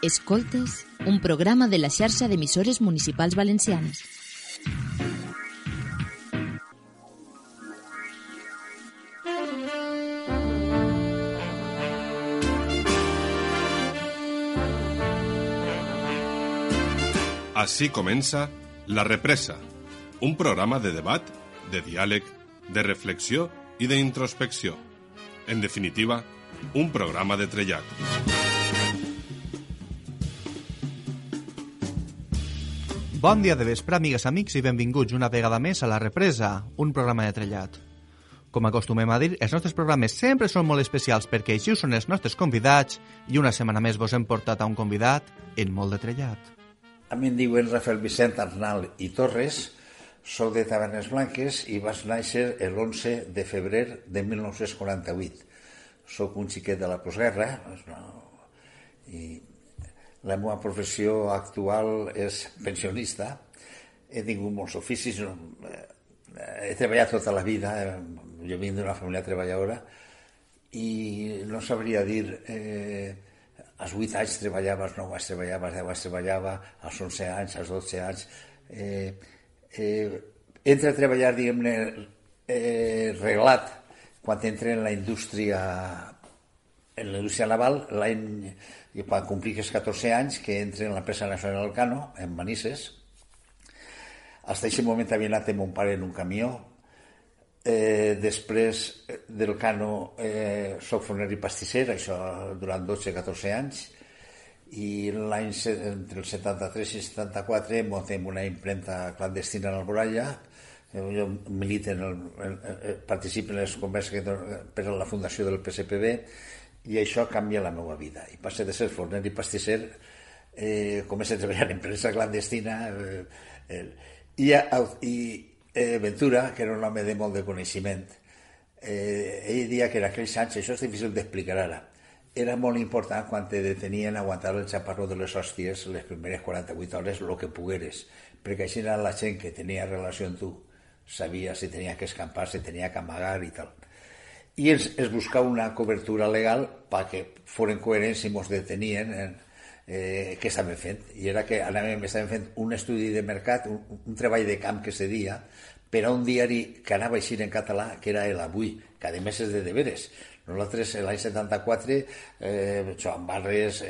Escoltes, un programa de la xarxa d'emissores municipals valencianes. Així comença La Represa, un programa de debat, de diàleg, de reflexió i d'introspecció. En definitiva, un programa de trellat. Bon dia de vespre, amigues, amics, i benvinguts una vegada més a La Represa, un programa de trellat. Com acostumem a dir, els nostres programes sempre són molt especials perquè així són els nostres convidats i una setmana més vos hem portat a un convidat en molt de trellat. A mi em diuen Rafael Vicent Arnal i Torres, soc de Tavernes Blanques i vaig néixer l'11 de febrer de 1948. Soc un xiquet de la postguerra i la meva professió actual és pensionista. He tingut molts oficis, he treballat tota la vida, jo vinc d'una família treballadora i no sabria dir... Als 8 anys treballava, als 9 anys treballava, als 10 anys treballava, als 11 anys, als 12 anys. Entra a treballar, diguem-ne, reglat, quan entra en la indústria naval, quan compliques 14 anys, que entra en l'empresa nacional Elcano, en Manises. Fins a aquest moment havia anat amb mon pare en un camió. Després del Cano soc forner i pastisser, això durant 12-14 anys, i entre el 73 i el 74 muntem una impremta clandestina en Alboraya. Jo milito participo en les converses per a la fundació del PSPB i això canvia la meva vida i passo de ser forner i pastisser, començo a treballar en premsa clandestina i Ventura, que era un home de molt de coneixement, ell deia que en aquells anys, això és difícil d'explicar ara, era molt important quan te detenien aguantar el xaparró de les hòsties les primeres 48 hores, el que pogueres, perquè així era la gent que tenia relació amb tu, sabia si tenia que escampar, si tenia que amagar i tal. I es buscava una cobertura legal perquè foren coherents i ens detenien què estaven fent, i era que estaven fent un estudi de mercat, un treball de camp que se dia per a un diari que anava a eixir en català, que era El Avui, que a més és de deberes. Nosaltres l'any 74, Joan Barres,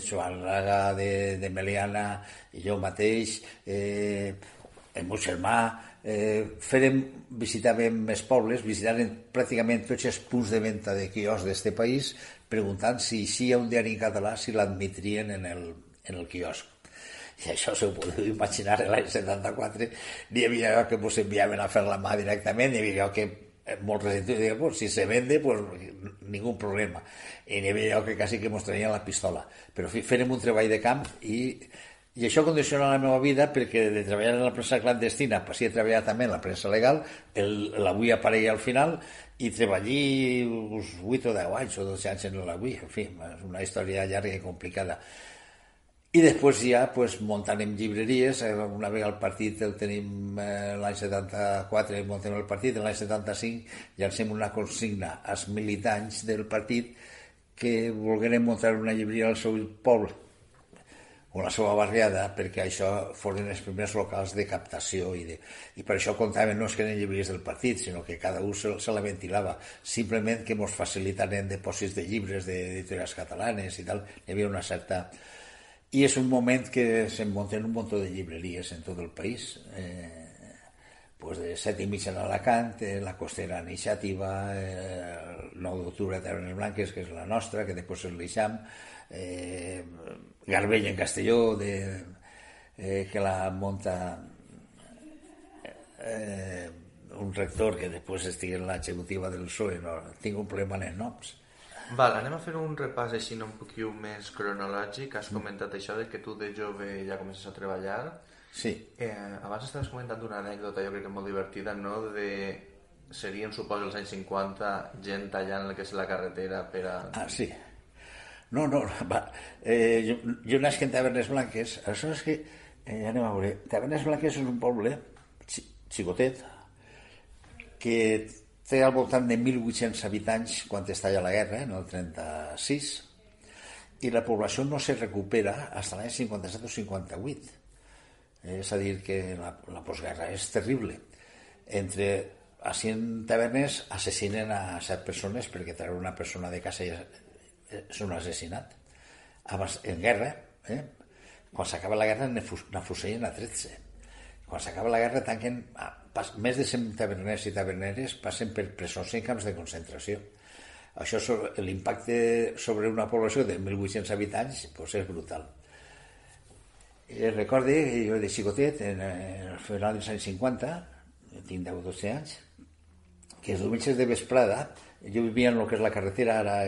Joan Raga de Meliana i jo mateix, el meu germà, visitàvem els pobles, visitàvem pràcticament tots els punts de venda de quioscs d'aquest país, preguntant si hi ha un diari en català, si l'admetrien en el quiosc. I això s'ho podeu imaginar, l'any 74 n'hi havia que ens enviaven a fer la mà directament, n'hi havia que molts residents deien, pues, si se vende, pues ningú problema. I n'hi havia que quasi que ens traien la pistola. Però fèrem un treball de camp i això condiciona la meva vida perquè de treballar en la premsa clandestina passi a treballar també en la premsa legal, l'Avui apareix al final i treballé uns 8 o 10 anys o 12 anys en l'Avui, en fi, és una història llarga i complicada. I després ja muntant en llibreries, una vegada el partit el tenim l'any 74, muntem el partit, l'any 75 llancem una consigna als militants del partit que volgueren muntar una llibreria al seu poble o la seva barriada, perquè això foren els primers locals de captació i per això comptaven no és que eren llibreries del partit, sinó que cada un se la ventilava, simplement que ens facilitaren depòsits de llibres d'editorials catalanes i tal, hi havia una certa... I és un moment que se'n munten un munt de llibreries en tot el país, de 7 i mitja en Alacant, la Costera Iniciativa, el 9 d'octubre a Tavernes Blanques, que és la nostra, que després és l'Eixam, Garbell en Castelló, que la munta un rector que després estigui en l'executiva del PSOE, no, tinc un problema en els noms. Val, anem a fer un repàs així un poquet més cronològic. Has comentat això de que tu de jove ja comences a treballar. Sí. Abans estaves comentant una anècdota, jo crec que molt divertida, no? Serien, suposo, els anys 50, gent tallant el que és la carretera per a... Ah, sí. No, va. Jo nasc en Tavernes Blanques. Això és que, anem a veure, Tavernes Blanques és un poble xicotet que té al voltant de 1.800 habitants quan estalla la guerra, en el 36, i la població no se recupera fins l'any 57 o 58. És a dir, que la postguerra és terrible. A 100 tavernes assassinen a 7 persones perquè treure una persona de casa és un assassinat. En guerra, quan s'acaba la guerra n'afusellen a 13. Quan s'acaba la guerra tanquen més de 100 taverners i taverneres passen per presons i camps de concentració. Això, l'impacte sobre una població de 1.800 habitants és brutal. Recorde que jo de xicotet, al final dels anys 50, tinc 10 o 12 anys, que els diumenges de vesprada, jo vivia en el que és la carretera, ara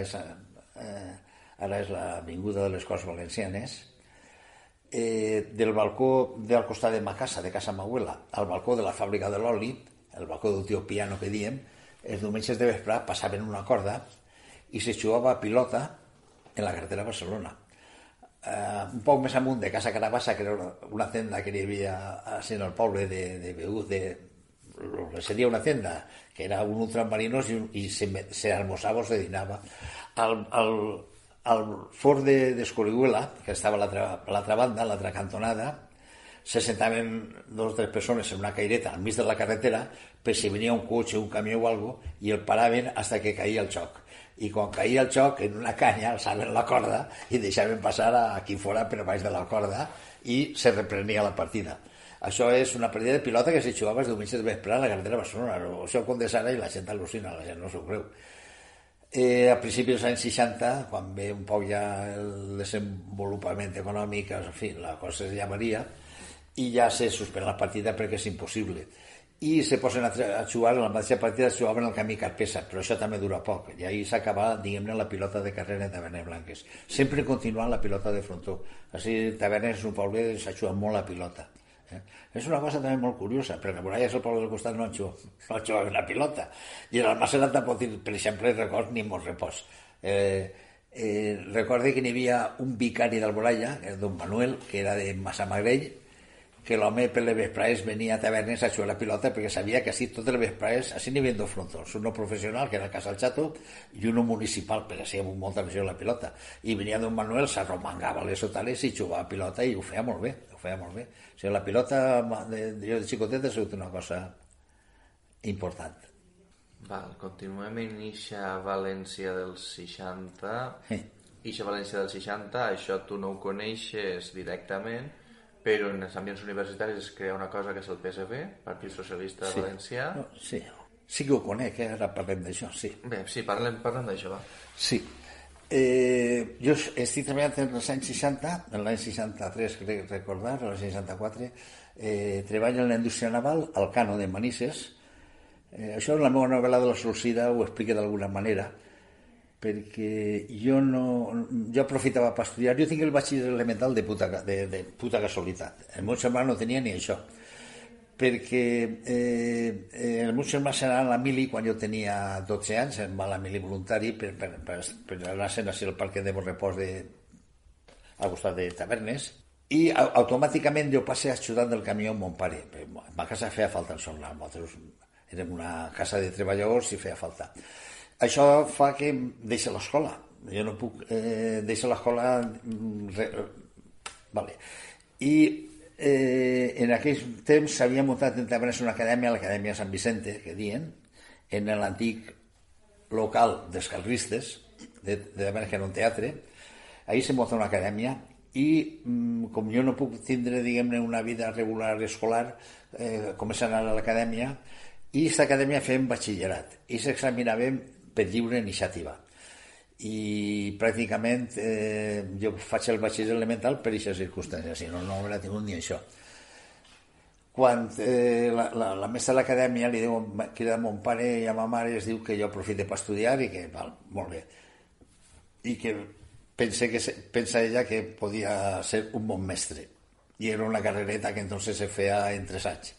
és l'avinguda de les Corts Valencianes, del balcó del costat de ma casa, de casa Mauela, al balcó de la fàbrica de l'oli, el balcó del tio Piano que diem, els diumenges de vesprada passaven una corda i se jugava a pilota en la carretera de Barcelona. Un poc més amunt de Casa Carabassa, que era una tenda que hi havia en el poble de Beús, seria una tenda que era un ultramarinos i se almorzava o se dinava al fort d'Escorihuela, que estava a l'altra banda, a l'altra cantonada, se sentaven 2 o 3 persones en una caireta al mig de la carretera per si venia un cotxe, un camió o algo, i el paraven fins que caïa el xoc. I quan caïa el xoc, en una canya alçaven la corda i deixaven passar a qui fora per baix de la corda i se reprenia la partida. Això és una partida de pilota que se jugava els diumenges de vesprada a la carretera de Barcelona. Això condes ara i la gent al·lucina, la gent no s'ho creu. A principis dels anys 60, quan ve un poc ja el desenvolupament econòmic, en fi, la cosa ja varia, i ja se suspèn la partida perquè és impossible. I se posen a jugar, en la mateixa partida es jugaven el camí Carpesa, però això també dura poc, i ahir s'acaba, diguem-ne, la pilota de carrera de Tavernes Blanques. Sempre continuant la pilota de frontó. Així, Tavernes és un poble que s'ha jugat molt la pilota. És una cosa també molt curiosa, perquè per allà és el poble del costat no jugaven la pilota. I en el Almacenat tampoc, per exemple, records ni molt repòs. Recorde que n'hi havia un vicari d'Alboraya, don Manuel, que era de Massamagrell, que l'home per les vesprades venia a Tavernes a jugar la pilota perquè sabia que així totes les vesprades, així n'hi havia 2 frontons, un professional, que era el Casal Chato, i un municipal, perquè així amb molta afició a la pilota. I venia don Manuel, s'arromangava les hotales i jugava a pilota i ho feia molt bé, O sigui, la pilota jo de xicotet ha sigut una cosa important. Continuem en eixa València dels 60. Eixa València dels 60, això tu no ho coneixes directament, però en els ambients universitaris es crea una cosa que és el PSV, Partit Socialista Valencià. Sí que ho conec, ara parlem d'això, sí. Bé, sí, parlem d'això, va. Sí. Jo estic treballant en els anys 60, en l'any 63, crec recordar, en l'any 64, treballo en la indústria naval, al Cano de Manises. Això en la meva novel·la de la Solsida ho explica d'alguna manera, perquè jo aprofitava per estudiar. Jo tinc el batxiller elemental de puta casualitat. El meu germà no tenia ni això, perquè el meu germà serà a la mili quan jo tenia 12 anys, em va a la mili voluntari per anar-se'n al parc de Bonrepòs al costat de Tavernes, i automàticament jo passé ajudant del camió amb mon pare. A ma casa feia falta el solar, nosaltres érem una casa de treballadors i feia falta. Això fa que deixi l'escola. Jo no puc deixar l'escola. I en aquells temps s'havia muntat en Tavernes una acadèmia, l'Acadèmia Sant Vicente, que diuen, en l'antic local dels carlistes, de Tavernes, que era un teatre. Ahir se munta una acadèmia i com jo no puc tindre, diguem-ne, una vida regular escolar, començar a anar a l'acadèmia, i aquesta acadèmia fèiem batxillerat i s'examinàvem per lliure iniciativa, i pràcticament jo faig el batxiller elemental per aquestes circumstàncies, si no hauria tingut ni això. Quan la mestra de l'acadèmia li diu, crida a mon pare i a ma mare, es diu que jo aprofite per estudiar i que, molt bé, i que pensa ella que podia ser un bon mestre, i era una carrereta que entonces se feia en 3 anys.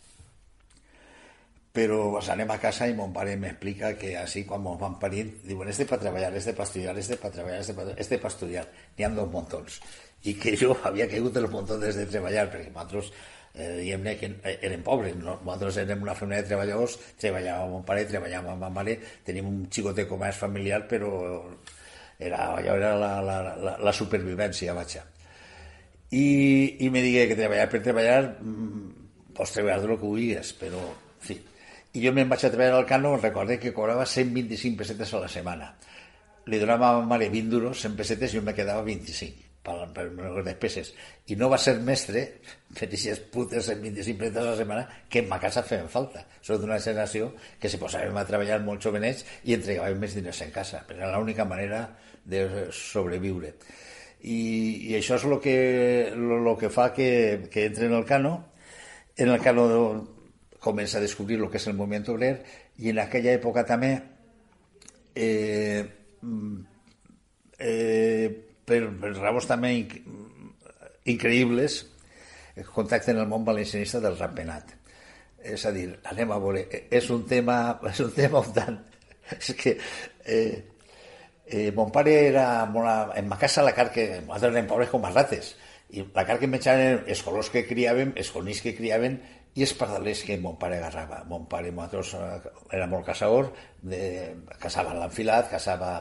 Però anem a casa i mon pare m'explica que així quan ens van parir diuen, este per treballar, este per estudiar, este per treballar, este per estudiar, n'hi ha 2 muntons, i que jo havia caigut els muntons de treballar, perquè nosaltres diguem-ne que érem pobres, nosaltres érem una família de treballadors, treballava mon pare, treballava ma mare, tenim un xicot de comerç familiar, però Allò era la supervivència, vaja. I me digué que treballar per treballar, pots treballar del que vulguis, però, en fi. I jo me'n vaig a treballar al Cano, recordé que cobrava 125 pessetes a la setmana. Li donava a ma mare 20 duros, 100 pessetes, i jo me quedava 25 per les despeses. I no va ser mestre per aquestes putes 125 pessetes a la setmana que en ma casa feien falta. Soc d'una generació que se posàvem a treballar molt jovenets i entregàvem més diners en casa, però era l'única manera de sobreviure. I això és el que fa que entre en el Cano. En el Cano comença a descobrir el que és el moviment obrer, i en aquella època també per raons també increïbles contacten el món valencianista del ratpenat. És a dir, anem a veure, és un tema on tant... És que mon pare era molt... En ma casa la carn que... Nosaltres érem pobres com a rates, i la carn que menjaven els colors que criaven, els conills que criaven i els pardalers que mon pare agarrava. Mon pare era molt caçador, caçava l'enfilat, caçava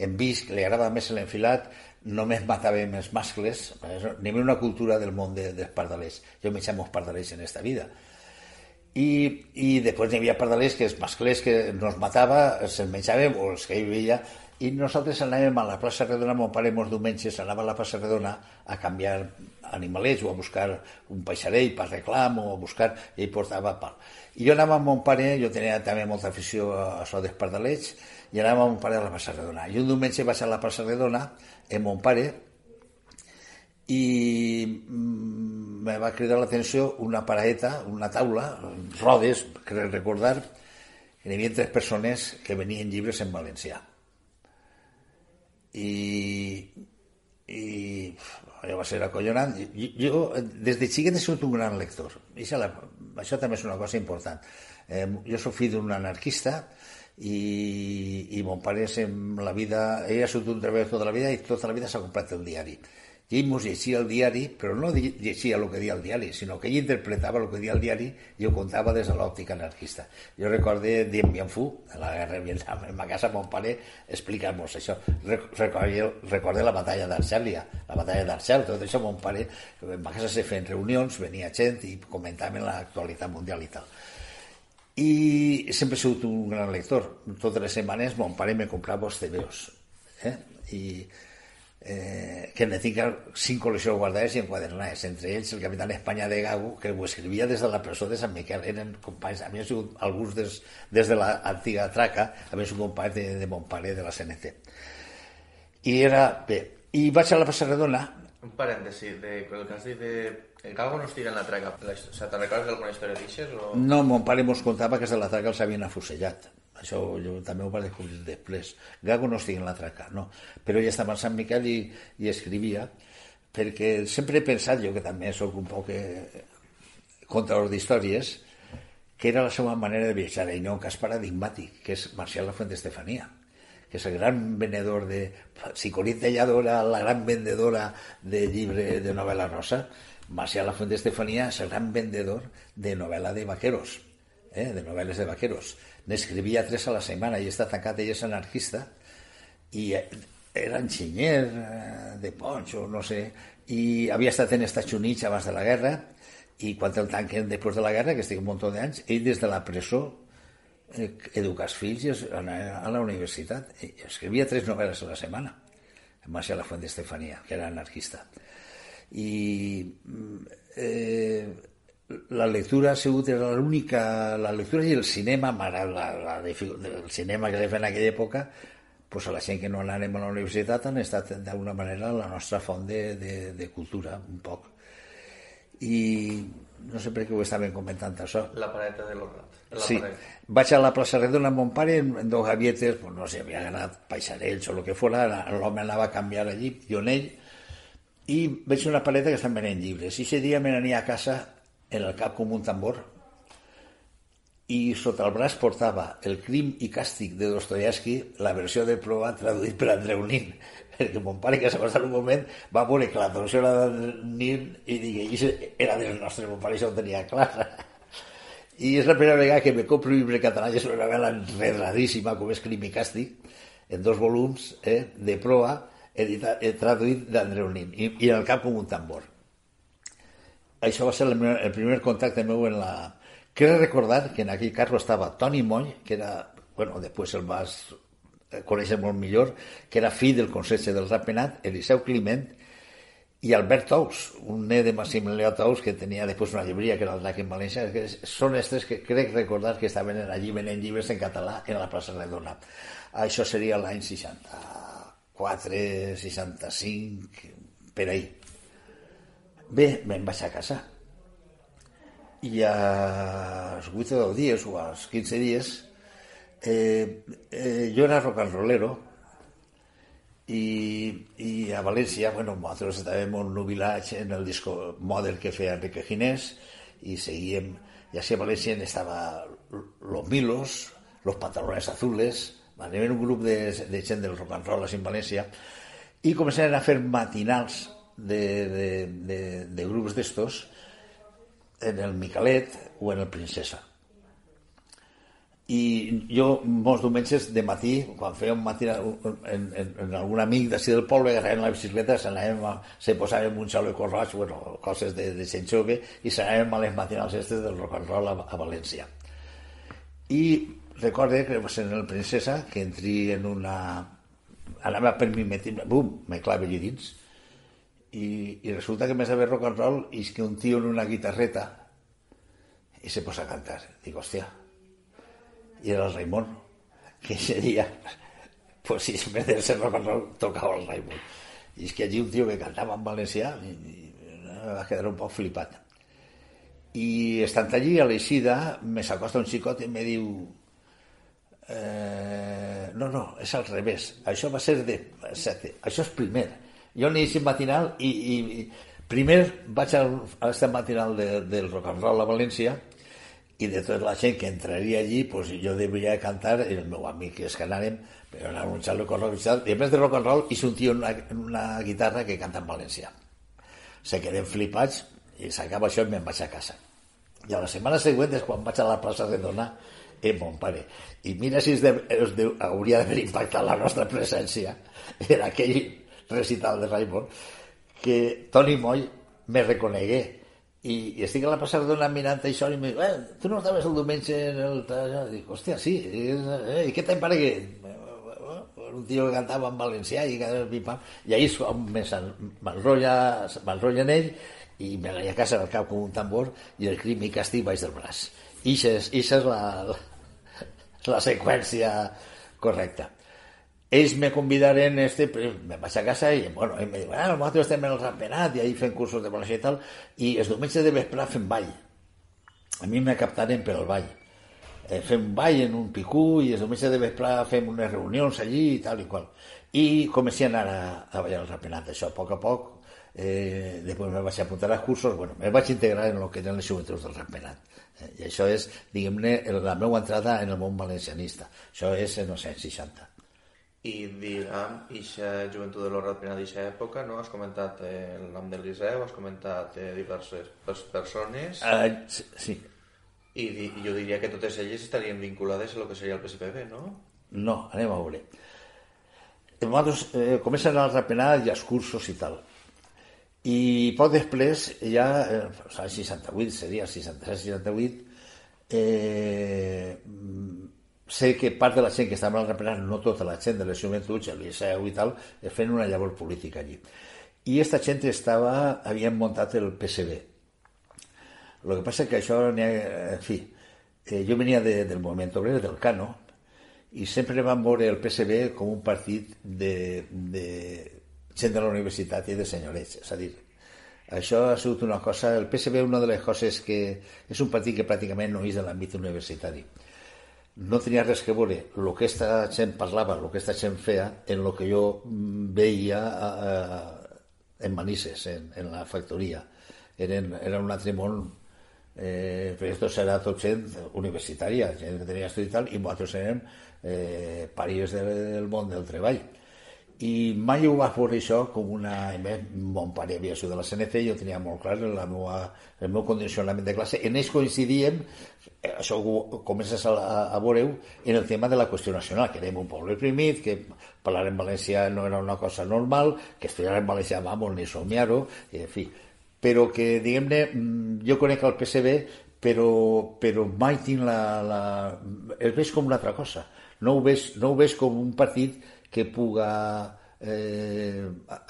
en visc, li agradava més l'enfilat, només matàvem els mascles, n'hi havia una cultura del món dels pardalers. Jo menjava molts pardalers en esta vida. I després n'hi havia pardalers que els mascles que no els matava, se'ls menjàvem, o els que hi veia, i nosaltres anàvem a la plaça Redona, mon pare molts diumenges anava a la plaça Redona a canviar animalets o a buscar un peixarell per reclam o a buscar, i ell portava pal. I jo anava amb mon pare, jo tenia també molta afició a això dels pardalets, i anava amb mon pare a la plaça Redona. I un diumenge vaig a la plaça Redona amb mon pare i me va cridar l'atenció una paraeta, una taula, rodes, crec recordar, que hi havia 3 persones que venien llibres en valencià. I allò va ser acollonant. Jo des de xiquet he sigut un gran lector. Això també és una cosa important. Jo soc fill d'un anarquista i mon pare en la vida, ell ha sigut un treballador tota la vida i tota la vida s'ha comprat el diari. I ell mos llegia el diari, però no llegia el que dia el diari, sinó que ell interpretava el que dia el diari i ho contava des de l'òptica anarquista. Jo recordé Dien Bien Phu, de la guerra de Vietnam, en ma casa mon pare explicant-nos això. Recordé la batalla d'Argèlia, la batalla d'Argel, tot això mon pare, en ma casa se feien reunions, venia gent i comentaven l'actualitat mundial i tal. I sempre he sigut un gran lector. Totes les setmanes mon pare me comprava els TVOs. Que ne tinc 5 col·leccions guardades i enquadernades, entre ells el Capitán España de Gago, que ho escrivia des de la presó de Sant Miquel. Eren companys, havien sigut alguns des de l'antiga traca, havien sigut companys de mon pare de la CNT. I vaig a la plaça Redona. Un parèntesi, el que has dit de Gago no estiga en la traca, te'n recordes d'alguna història d'aixes? No, mon pare mos contava que des de la traca els havien afusellat. Això jo també ho vaig descobrir després. Gago no estigui en la traca, no. Però ja estava a Sant Miquel i escrivia, perquè sempre he pensat, jo que també soc un poc contador d'històries, que era la seva manera de viatjar, i no un cas paradigmàtic, que és Marcial Lafuente Estefania, que és el gran venedor de... Si Colín Tellado era la gran vendedora de llibre de novel·la rosa, Marcial Lafuente Estefania és el gran vendedor de novel·la de vaqueros, de novel·les de vaqueros. N'escrivia 3 a la setmana i està tancat, ell és anarquista i era enginyer de Poncho, no sé, i havia estat en Estats Units abans de la guerra i quan el tanquen després de la guerra, que estic un munt d'anys, ell des de la presó educa els fills a la universitat. Escrivia 3 novel·les a la setmana, Marcial Lafuente Estefania, que era anarquista. I la lectura ha sigut l'única... La lectura i el cinema, el cinema que feien en aquella època, pues a la gent que no anàrem a la universitat han estat d'alguna manera la nostra font de cultura, un poc. I no sé per què ho estaven comentant això. La pareta de l'Horrat. Sí, vaig a la plaça Redona amb mon pare en 2 gavietes, pues no sé, havia ganat paisarells o el que fora, l'home anava a canviar allí, jo en ell, i veig una paleta que estan venent llibres, i ese dia me n'ania a casa en el cap com un tambor i sota el braç portava El crim i càstig de Dostoyevsky, la versió de prova traduït per Andreu Nin, perquè mon pare, que s'ha passat un moment, va veure que la traducció era de Nin i digué, era del nostre, mon pare això ho tenia clar. I és la primera vegada que me compro un llibre català, i és una novel·la enredadíssima com és Crim i càstig, en 2 volums de proa, traduït d'Andreu Nin, i en el cap com un tambor. Això va ser el primer contacte meu en la... Crec recordar que en aquell carro estava Toni Moll, que era, bueno, després el vas conèixer molt millor, que era fill del conserge del Ratpenat, Eliseu Climent, i Albert Tous, un nen de Maximilià Tous, que tenia després una llibreria, que era el Drac en València. Són estes que crec recordar que estaven allí venent llibres en català en la plaça Redona. Això seria l'any 64, 65, per ahí. Bé, me'n vaig a casa i als 8 o 10 dies o als 15 dies jo era rock and rollero i a València, bueno, nosaltres estàvem en un nubilatge en el disco Model que feia Enrique Ginés i seguíem, i així a València estava Los Milos, Los Pantalones Azules, anem un grup de gent del rock and roll a València i començaven a fer matinals de grups d'estos en el Micalet o en el Princesa. I jo molts diumenges de matí, quan feia un matí en algun amic d'ací del poble, agafàvem la bicicleta, se posàvem un xaleco roig, bueno, coses de gent jove, i s'anàvem a les matinals estes del rock and roll a València. I recorde que va ser en el Princesa que entri en una... anava per mi, bum, me clave allí dins. I resulta que me sabe rock and roll i és que un tío en una guitarreta i se posa a cantar. Dic, hòstia, i era el Raimon, que ese dia, pues si en vez de ser rock and roll, tocava el Raimon. I és que allí un tío que cantava en valencià i me va quedar un poc flipat. I estant allí, a l'eixida, me s'acosta un xicot i me diu no, és al revés, això va ser de 7, això és primer. Jo n'he llegit matinal i primer vaig a l'estat matinal del rock and roll a València i de tota la gent que entraria allí pues jo devia cantar, el meu amic que és que anàrem, però era un xalo con rock and roll, i a més de rock and roll hi un tio en una guitarra que canta en valencià. Se quedem flipats i s'acaba això i me'n vaig a casa. I a la setmana següent és quan vaig a la plaça Redona mon pare. I mira si hauria d'haver impactat la nostra presència en aquell recital de Raimon, que Toni Moll me reconegué i estic a la plaça Redona mirant això i em diu, tu no estaves el diumenge en el... Dic, hòstia, sí, i què te'n pare que... un tio que cantava en valencià i ahir m'enrotlla en ell i me vaig a casa al cap com un tambor i el crim i càstig baix del braç. Ixa és la seqüència correcta. Ells me convidaren, me vaig a casa i em diuen, nosaltres estem en el Ratpenat i ahir fem cursos de valencià i tal, i els diumenges de vesprà fem ball. A mi me captaren per al ball. Fem ball en un picú i els diumenges de vesprà fem unes reunions allí i tal i qual. I comencé a anar a ballar al Ratpenat, això a poc. Després me vaig apuntar als cursos, me vaig integrar en el que eren les joventuts del Ratpenat. I això és, diguem-ne, la meva entrada en el món valencianista. Això és en els anys 60. I diguem, aquesta joventut de l'Ratpenat d'aquesta època, no? Has comentat el nom del Liceu, has comentat diverses persones. Sí. I jo diria que totes elles estarien vinculades a lo que seria el PSPB, no? No, anem a veure. Nosaltres comencen al Ratpenat i els cursos i tal. I poc després, ja, el 68, seria 66-68, sé que part de la gent que estava al Ratpenat, no tota la gent de les joventuts, el Liceu i tal, fent una llavor política allí. I aquesta gent havien muntat el PSB. El que passa és que això, en fi, jo venia del moviment obrer, del Cano, i sempre vam veure el PSB com un partit de gent de la universitat i de senyorets. És a dir, això ha sigut una cosa... El PSB, una de les coses que... És un partit que pràcticament no és de l'àmbit universitari. No tenia res que veure el que aquesta gent parlava, el que aquesta gent feia, en el que jo veia en Manises, en la factoria. Era un altre món, perquè esto serà tot gent universitària, gent que tenia estudi i tal, i nosaltres érem paries del món del treball. i mai ho va veure això com una... Mon pare havia sigut de la CNC, jo tenia molt clar el meu condicionament de classe. En ells coincidíem, això ho comences a veure-ho, en el tema de la qüestió nacional, que érem un poble oprimit, que parlar en valencià no era una cosa normal, que estudiar en valencià, vamos, ni somiar-ho, en fi. Però que, diguem-ne, jo conec el PSB, però mai tinc el veig com una altra cosa. No ho veig com un partit que puga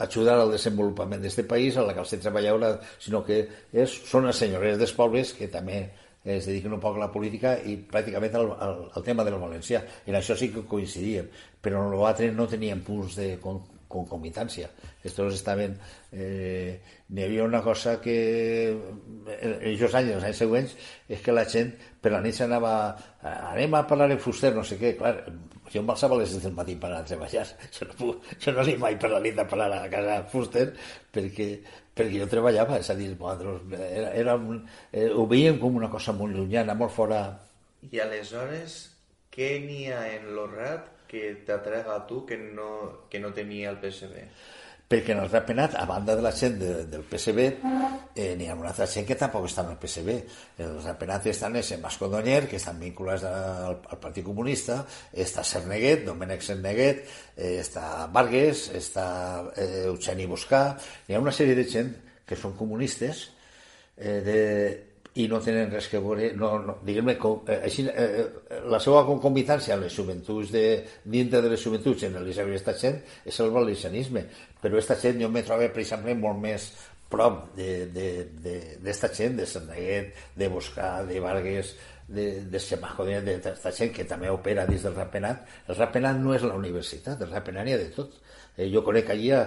ajudar al desenvolupament d'aquest país, a la classe treballadora, sinó que són els senyors dels pobles que també es dediquen un poc a la política i pràcticament al tema del valencià. En això sí que coincidíem, però en l'altre no teníem punts de concomitància. Estos estaven... N'hi havia una cosa que en aquests anys, els anys següents, és que la gent per la nit anava anem a parlar en fuster, no sé què. Clar, jo em alçava a les 6 del matí per anar a treballar. Jo no anem mai per la nit a parlar a casa fuster perquè jo treballava, és a dir, ho veiem com una cosa molt llunyana, molt fora... I aleshores, què n'hi ha en l'Orrat que t'atrega a tu que no tenia el PSB? Perquè en el Ratpenat, a banda de la gent del PSB, n'hi ha una altra gent que tampoc està en el PSB. En el Ratpenat estan en Mascodonyer, que estan vinculats al Partit Comunista, està Cerneguet, Domènec Cerneguet, està Vargas, està Eugeni Buscà. Hi ha una sèrie de gent que són comunistes i no tenen res que veure, diguem-ne, la seva concomitància amb les joventuts, dintre de les joventuts en l'Eliseu i aquesta gent, és el valencianisme. Però aquesta gent jo me trobo, per exemple, molt més prop d'esta gent, de Cerneguet, de Buscà, de Vargas, de Semajo, d'esta gent que també opera dins del Ratpenat. El Ratpenat no és la universitat, el Ratpenat n'hi ha de tot. Jo conec allí a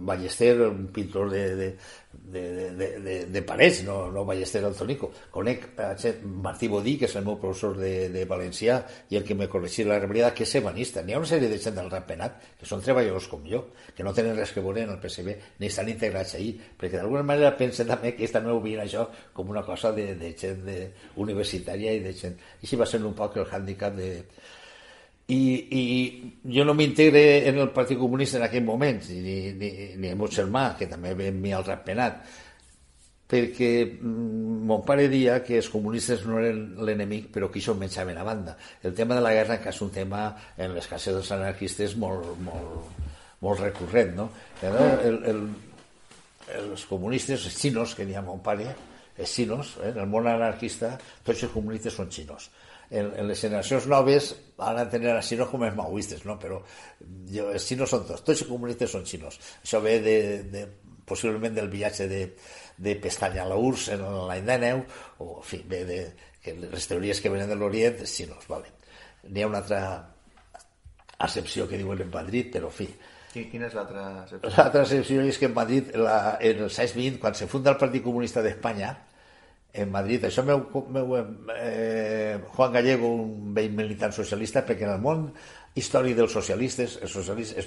Ballester, un pintor de parets, no Ballester el Tonico. Conec a Martí Bodí, que és el meu professor de valencià i el que me corregí la rebel·liada, que és ebanista. N'hi ha una sèrie de gent del Ratpenat que són treballadors com jo, que no tenen res que veure en el PSB, ni estan integrats allí, perquè d'alguna manera pensen també que ells també ho veien això com una cosa de gent universitària i de gent... I així va ser un poc el hàndicap de... I jo no m'integre en el Partit Comunista en aquell moment, ni el meu germà, que també ve amb mi al Ratpenat, perquè mon pare deia que els comunistes no eren l'enemic, però que això menjaven a banda. El tema de la guerra, que és un tema en les cases dels anarquistes molt recurrent, no? Els comunistes, els xinos, que n'hi ha mon pare, els xinos, en el món anarquista, tots els comunistes són xinos. En les generacions noves van a tenir a xinos com els maoistes, no? Però els xinos són tots els comunistes són xinos. Això ve possiblement del viatge de Pestanya a la URSS en l'any 19, o en fi, ve de les teories que venen de l'Orient, els xinos, vale. N'hi ha una altra accepció que diuen en Madrid, però en fi. Quina és l'altra accepció? L'altra accepció és que en Madrid, en els anys 20, quan se funda el Partit Comunista d'Espanya, en Madrid, això Juan Gallego, un vell militant socialista, perquè en el món històric dels socialistes, els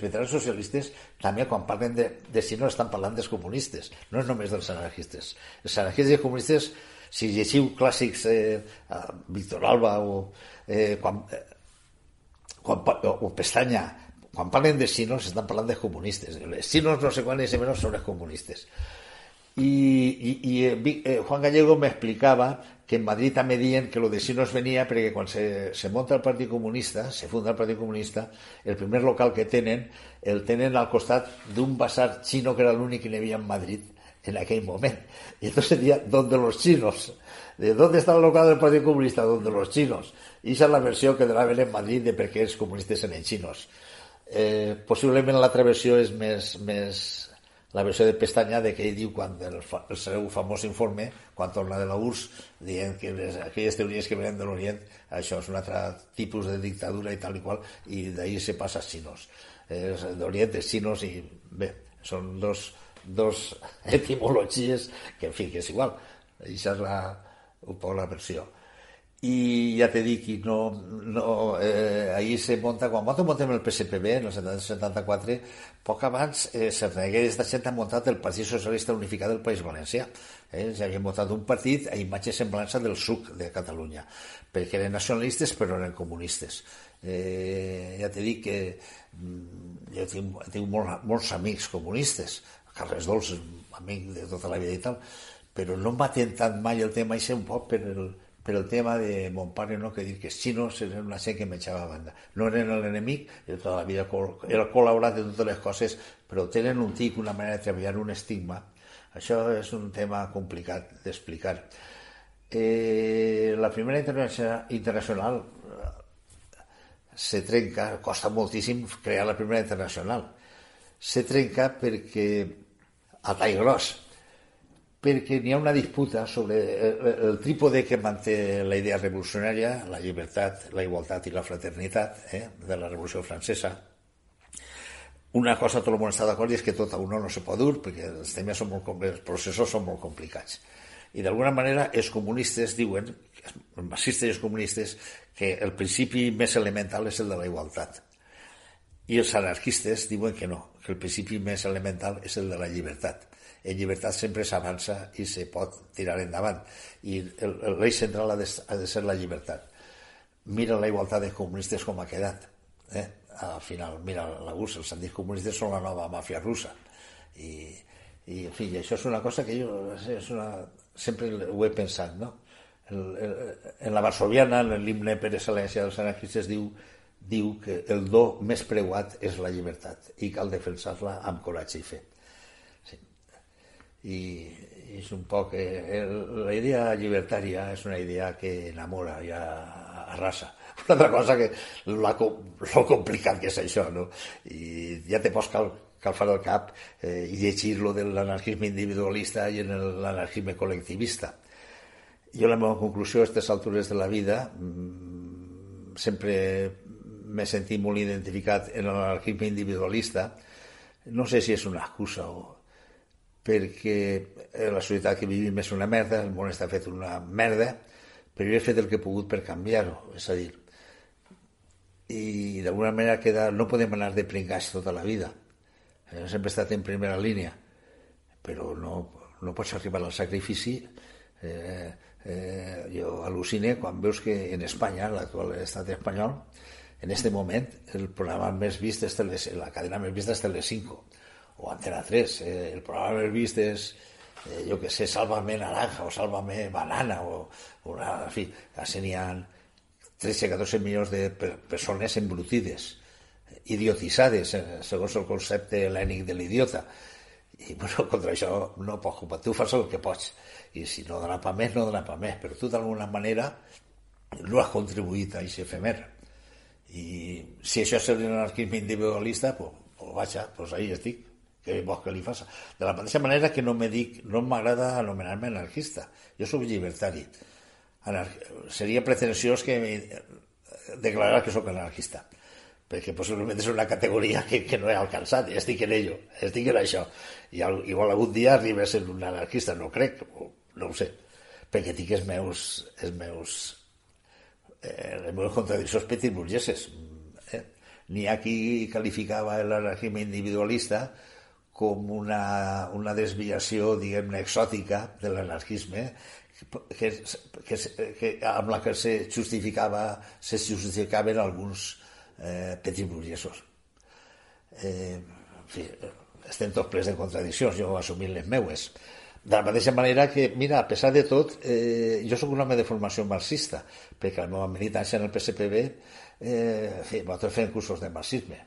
veterans socialistes, també quan parlen de si no estan parlant dels comunistes, no és només dels anarquistes. Els anarquistes i els comunistes, si llegiu clàssics Víctor Alba o Pestanya, quan parlen de xinos estan parlant de comunistes. Els xinos no sé quan és menys són els comunistes. I Juan Gallego me explicava que en Madrid també diuen que lo de xinos venia perquè quan se monta el Partit Comunista, se funda el Partit Comunista, el primer local que tenen, el tenen al costat d'un basar xino que era l'únic que n'hi havia en Madrid en aquell moment. Y entonces decía, ¿dónde los chinos? ¿De dónde está el local del Partido Comunista? ¿Dónde los chinos? Y esa és la versió que donava en Madrid de per què els comunistes eren xinos. Possiblement l'altra versió és més la versió de Pestanya, de que ell diu quan el seu famós informe, quan torna de la URSS, dient que aquelles teories que venen de l'Orient, això és un altre tipus de dictadura i tal i qual, i d'ahir se passa als xinos. D'Orient, els xinos, i bé, són dos etimologies que, en fi, que és igual. Això és un poc la versió. i ja t'he dit que ahir se monta, quan montem el PSPB en el 74, poc abans Cerneguer de gent ha muntat el Partit Socialista Unificat del País Valencià. Ja havien muntat un partit a imatge i semblança del SUC de Catalunya, perquè eren nacionalistes però eren comunistes. Ja t'he dit que jo tinc molts amics comunistes, Carles Dols, amic de tota la vida i tal, però no m'ha tentat mai el tema i sé un poc per el tema de mon pare, no? Que dir que els xinos eren una gent que m'eixava a banda. No eren l'enemic, jo tota la vida he col·laborat en totes les coses, però tenen un tic, una manera de treballar, un estigma. Això és un tema complicat d'explicar. La primera internacional se trenca, costa moltíssim crear la primera internacional. Se trenca perquè a tall gros, perquè n'hi ha una disputa sobre el trípode que manté la idea revolucionària, la llibertat, la igualtat i la fraternitat de la Revolució Francesa. Una cosa tot el món està d'acord i és que tot a uno no se pot dur perquè els temes són molt complexos, els processos són molt complicats. I d'alguna manera els comunistes diuen, els marxistes i els comunistes, que el principi més elemental és el de la igualtat. I els anarquistes diuen que no, que el principi més elemental és el de la llibertat. En llibertat sempre s'avança i se pot tirar endavant. I l'eix central ha de ser la llibertat. Mira la igualtat dels comunistes com ha quedat. Al final, mira la URSS, els antics comunistes són la nova màfia russa. I en fi, això és una cosa que jo sempre ho he pensat, no? En la varsoviana, en l'himne per excel·lència dels anarquistes, diu que el do més preuat és la llibertat i cal defensar-la amb coratge i fe. Sí. I és un poc... la idea llibertària és una idea que enamora i arrasa. Una altra cosa que lo complicat que és això, no? I ja te pots calfar el cap i llegir lo de l'anarquisme individualista i en l'anarquisme col·lectivista. Jo la meva conclusió a aquestes altures de la vida sempre m'he sentit molt identificat en l'anarquisme individualista. No sé si és una excusa o perquè la societat que vivim és una merda, el món està fet una merda, però jo he fet el que he pogut per canviar-ho, és a dir, i d'alguna manera no podem anar de pringats tota la vida. Sempre he estat en primera línia, però no pots arribar al sacrifici. Jo al·lucine quan veus que en Espanya, l'actual estat espanyol, en aquest moment el programa més vist és la cadena més vista és Telecinco o Antena 3. El programa més vist és, jo què sé, Sálvame Naranja o Sálvame Banana en fi, així n'hi ha 13-14 milions de persones embrutides, idiotitzades segons el concepte hel·lènic de l'idiota. I bueno, contra això no pots culpar, tu fas el que pots i si no dona pa més, no dona pa més, però tu d'alguna manera no has contribuït a aquest efemer. I si això és l'anarquisme individualista, pues vaja, pues ahí estic, què vols que li faça? De la mateixa manera que no m'agrada anomenar-me anarquista, jo soc llibertari. Seria pretensiós que declarar que soc anarquista, perquè possiblement és una categoria que no he alcançat, i estic en ello, estic en això, i igual algun dia arriba a ser un anarquista, no crec, no ho sé, perquè tinc les meves contradiccions petitburgeses. N'hi ha qui qualificava l'anarquisme individualista com una desviació, diguem-ne, exòtica de l'anarquisme, amb la que se justificaven alguns petits burgesos. En fi, estem tots plens de contradiccions, jo assumint les meues. De la mateixa manera que, mira, a pesar de tot, jo soc un home de formació marxista, perquè la meva militància en el PSPB nosaltres fem cursos de marxisme,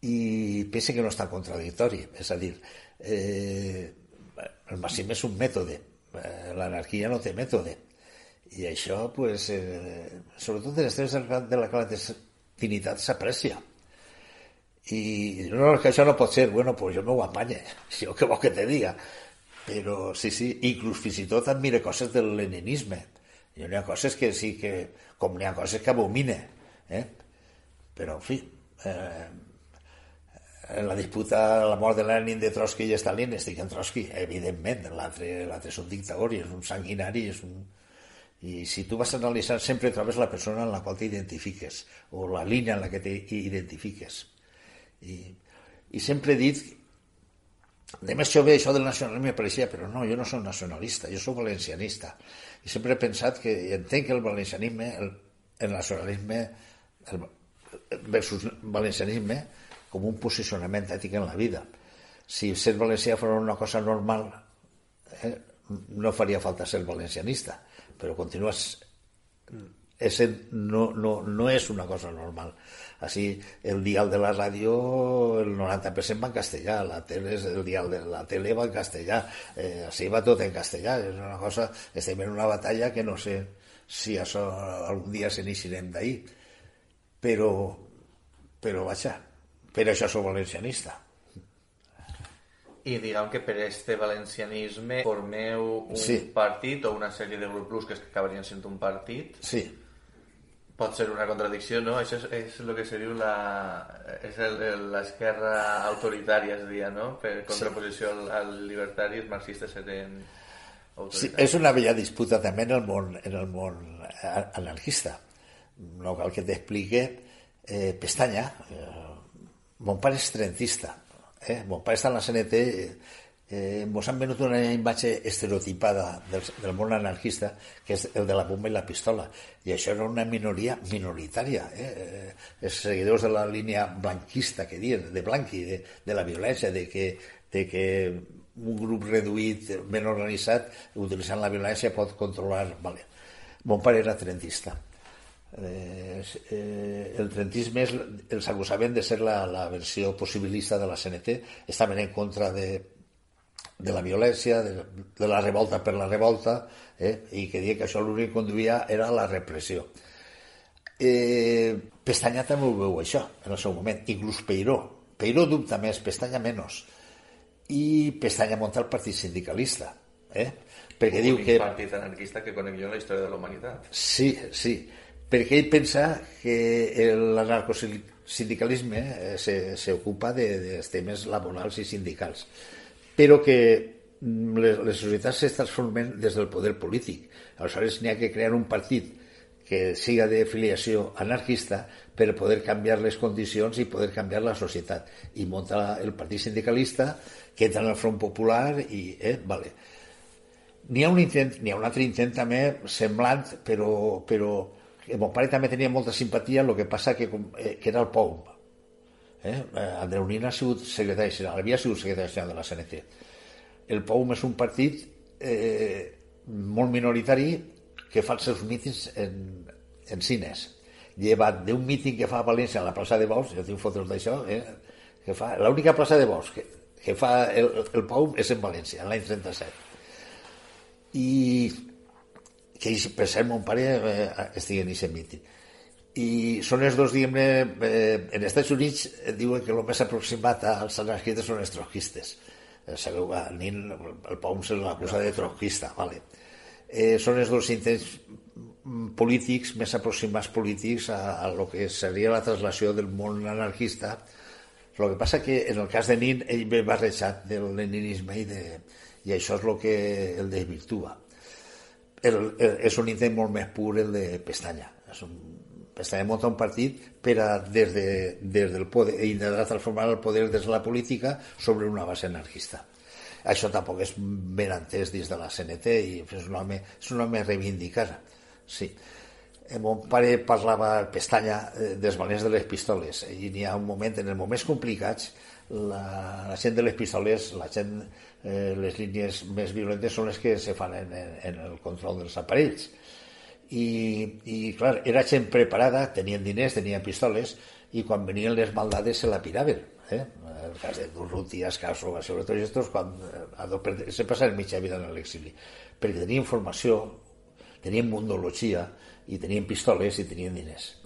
i penso que no és tan contradictori. És a dir, el marxisme és un mètode, l'anarquia no té mètode, i això, pues, sobretot en els temps de la clandestinitat s'aprecia. I no, que això no pot ser, bueno, pues jo m'ho apanye, jo què vol que te diga, però sí, inclús fins i tot admire coses del leninisme. N'hi ha coses que sí que, com n'hi ha coses que abomine, però en fi, en la disputa a la mort de Lenin, de Trotsky i Stalin, estic en Trotsky, evidentment. L'altre és un dictador i és un sanguinari, I si tu vas analitzar, sempre trobes la persona en la qual t'identifiques, o la línia en la que t'identifiques. I sempre he dit, de més jove això del nacionalisme pareixia, però no, jo no soc nacionalista, jo soc valencianista. I sempre he pensat que entenc que el valencianisme, el nacionalisme versus valencianisme com un posicionament ètic en la vida. Si ser valencià fos una cosa normal, no faria falta ser valencianista, però continues no és una cosa normal. Així, el dial de la ràdio, el 90% va en castellà, el dial de la tele va en castellà, així va tot en castellà. És una cosa, estem en una batalla que no sé si això algun dia se n'eixirem d'ahir, però vaja, per això soc valencianista. I diguem que per este valencianisme formeu un partit o una sèrie de grups que acabarien sent un partit. Sí. Pot ser una contradicció, no? Això és el que se diu l'esquerra autoritària, es dia, no? Per contraposició al llibertari, els marxistes serien autoritaris. Sí, és una vella disputa també en el món anarquista. No cal que t'explique. Pestanya, mon pare és trentista. Mon pare està en la CNT. Ens han venut una imatge estereotipada del món anarquista, que és el de la bomba i la pistola, i això era una minoria minoritària. Els seguidors de la línia blanquista, que diuen, de Blanqui, de la violència, de que un grup reduït, ben organitzat, utilitzant la violència pot controlar. Vale. Mon pare era trentista. El trentisme els acusaven de ser la versió possibilista de la CNT, estaven en contra de la violència, de la revolta per la revolta, i que deia que això l'únic que conduïa era la repressió. Pestanya també ho veu això en el seu moment, inclús Peiró dubta més, Pestanya menys, i Pestanya munta el partit sindicalista, perquè diu que... Un partit anarquista que conec jo en la història de la humanitat. Sí, perquè ell pensa que l'anarcosindicalisme s'ocupa dels temes laborals i sindicals, però que les societats es transformen des del poder polític. Aleshores n'hi ha que crear un partit que siga de filiació anarquista per poder canviar les condicions i poder canviar la societat. I munta el partit sindicalista, que entra en el Front Popular i... vale. N'hi ha un altre intent també semblant, però mon pare també tenia molta simpatia, el que passa que era el POUM. Andreu Nin ha sigut secretari general, havia sigut secretari general de la CNT. El POUM és un partit molt minoritari que fa els seus mítings en cines. Llevat d'un míting que fa a València a la plaça de Bous, jo tinc fotos d'això, que fa l'única plaça de Bous que fa el POUM és en València, l'any 37. I que per cert mon pare estigui en aquest míting. I són els dos, diguem-ne, en Estats Units diuen que el més aproximat als anarquistes són els trotskistes. Sabeu, el POUM se l'acusa de trotskista, vale. Són els dos intents polítics, més aproximats polítics a lo que seria la traslació del món anarquista. El que passa que en el cas de Nin ell ve barrejat del leninisme i això és el que el desvirtua. És un intent molt més pur el de Pestanya. Pestanya munta un partit per a des del poder intentar transformar el poder des de la política sobre una base anarquista. Això tampoc és ben entès dins de la CNT i és un home reivindicat. Sí. Mon pare parlava Pestanya dels valents de les pistoles i n'hi ha un moment, en els moments complicats, la gent de les pistoles, les línies més violentes són les que se fan en el control dels aparells. I clar, era gent preparada, tenien diners, tenien pistoles, i quan venien les maldades se la piraven. El cas de Durruti, Ascaso, sobretot estos, se passaven mitja vida en l'exili, perquè tenien formació, tenien mundologia, i tenien pistoles i tenien diners.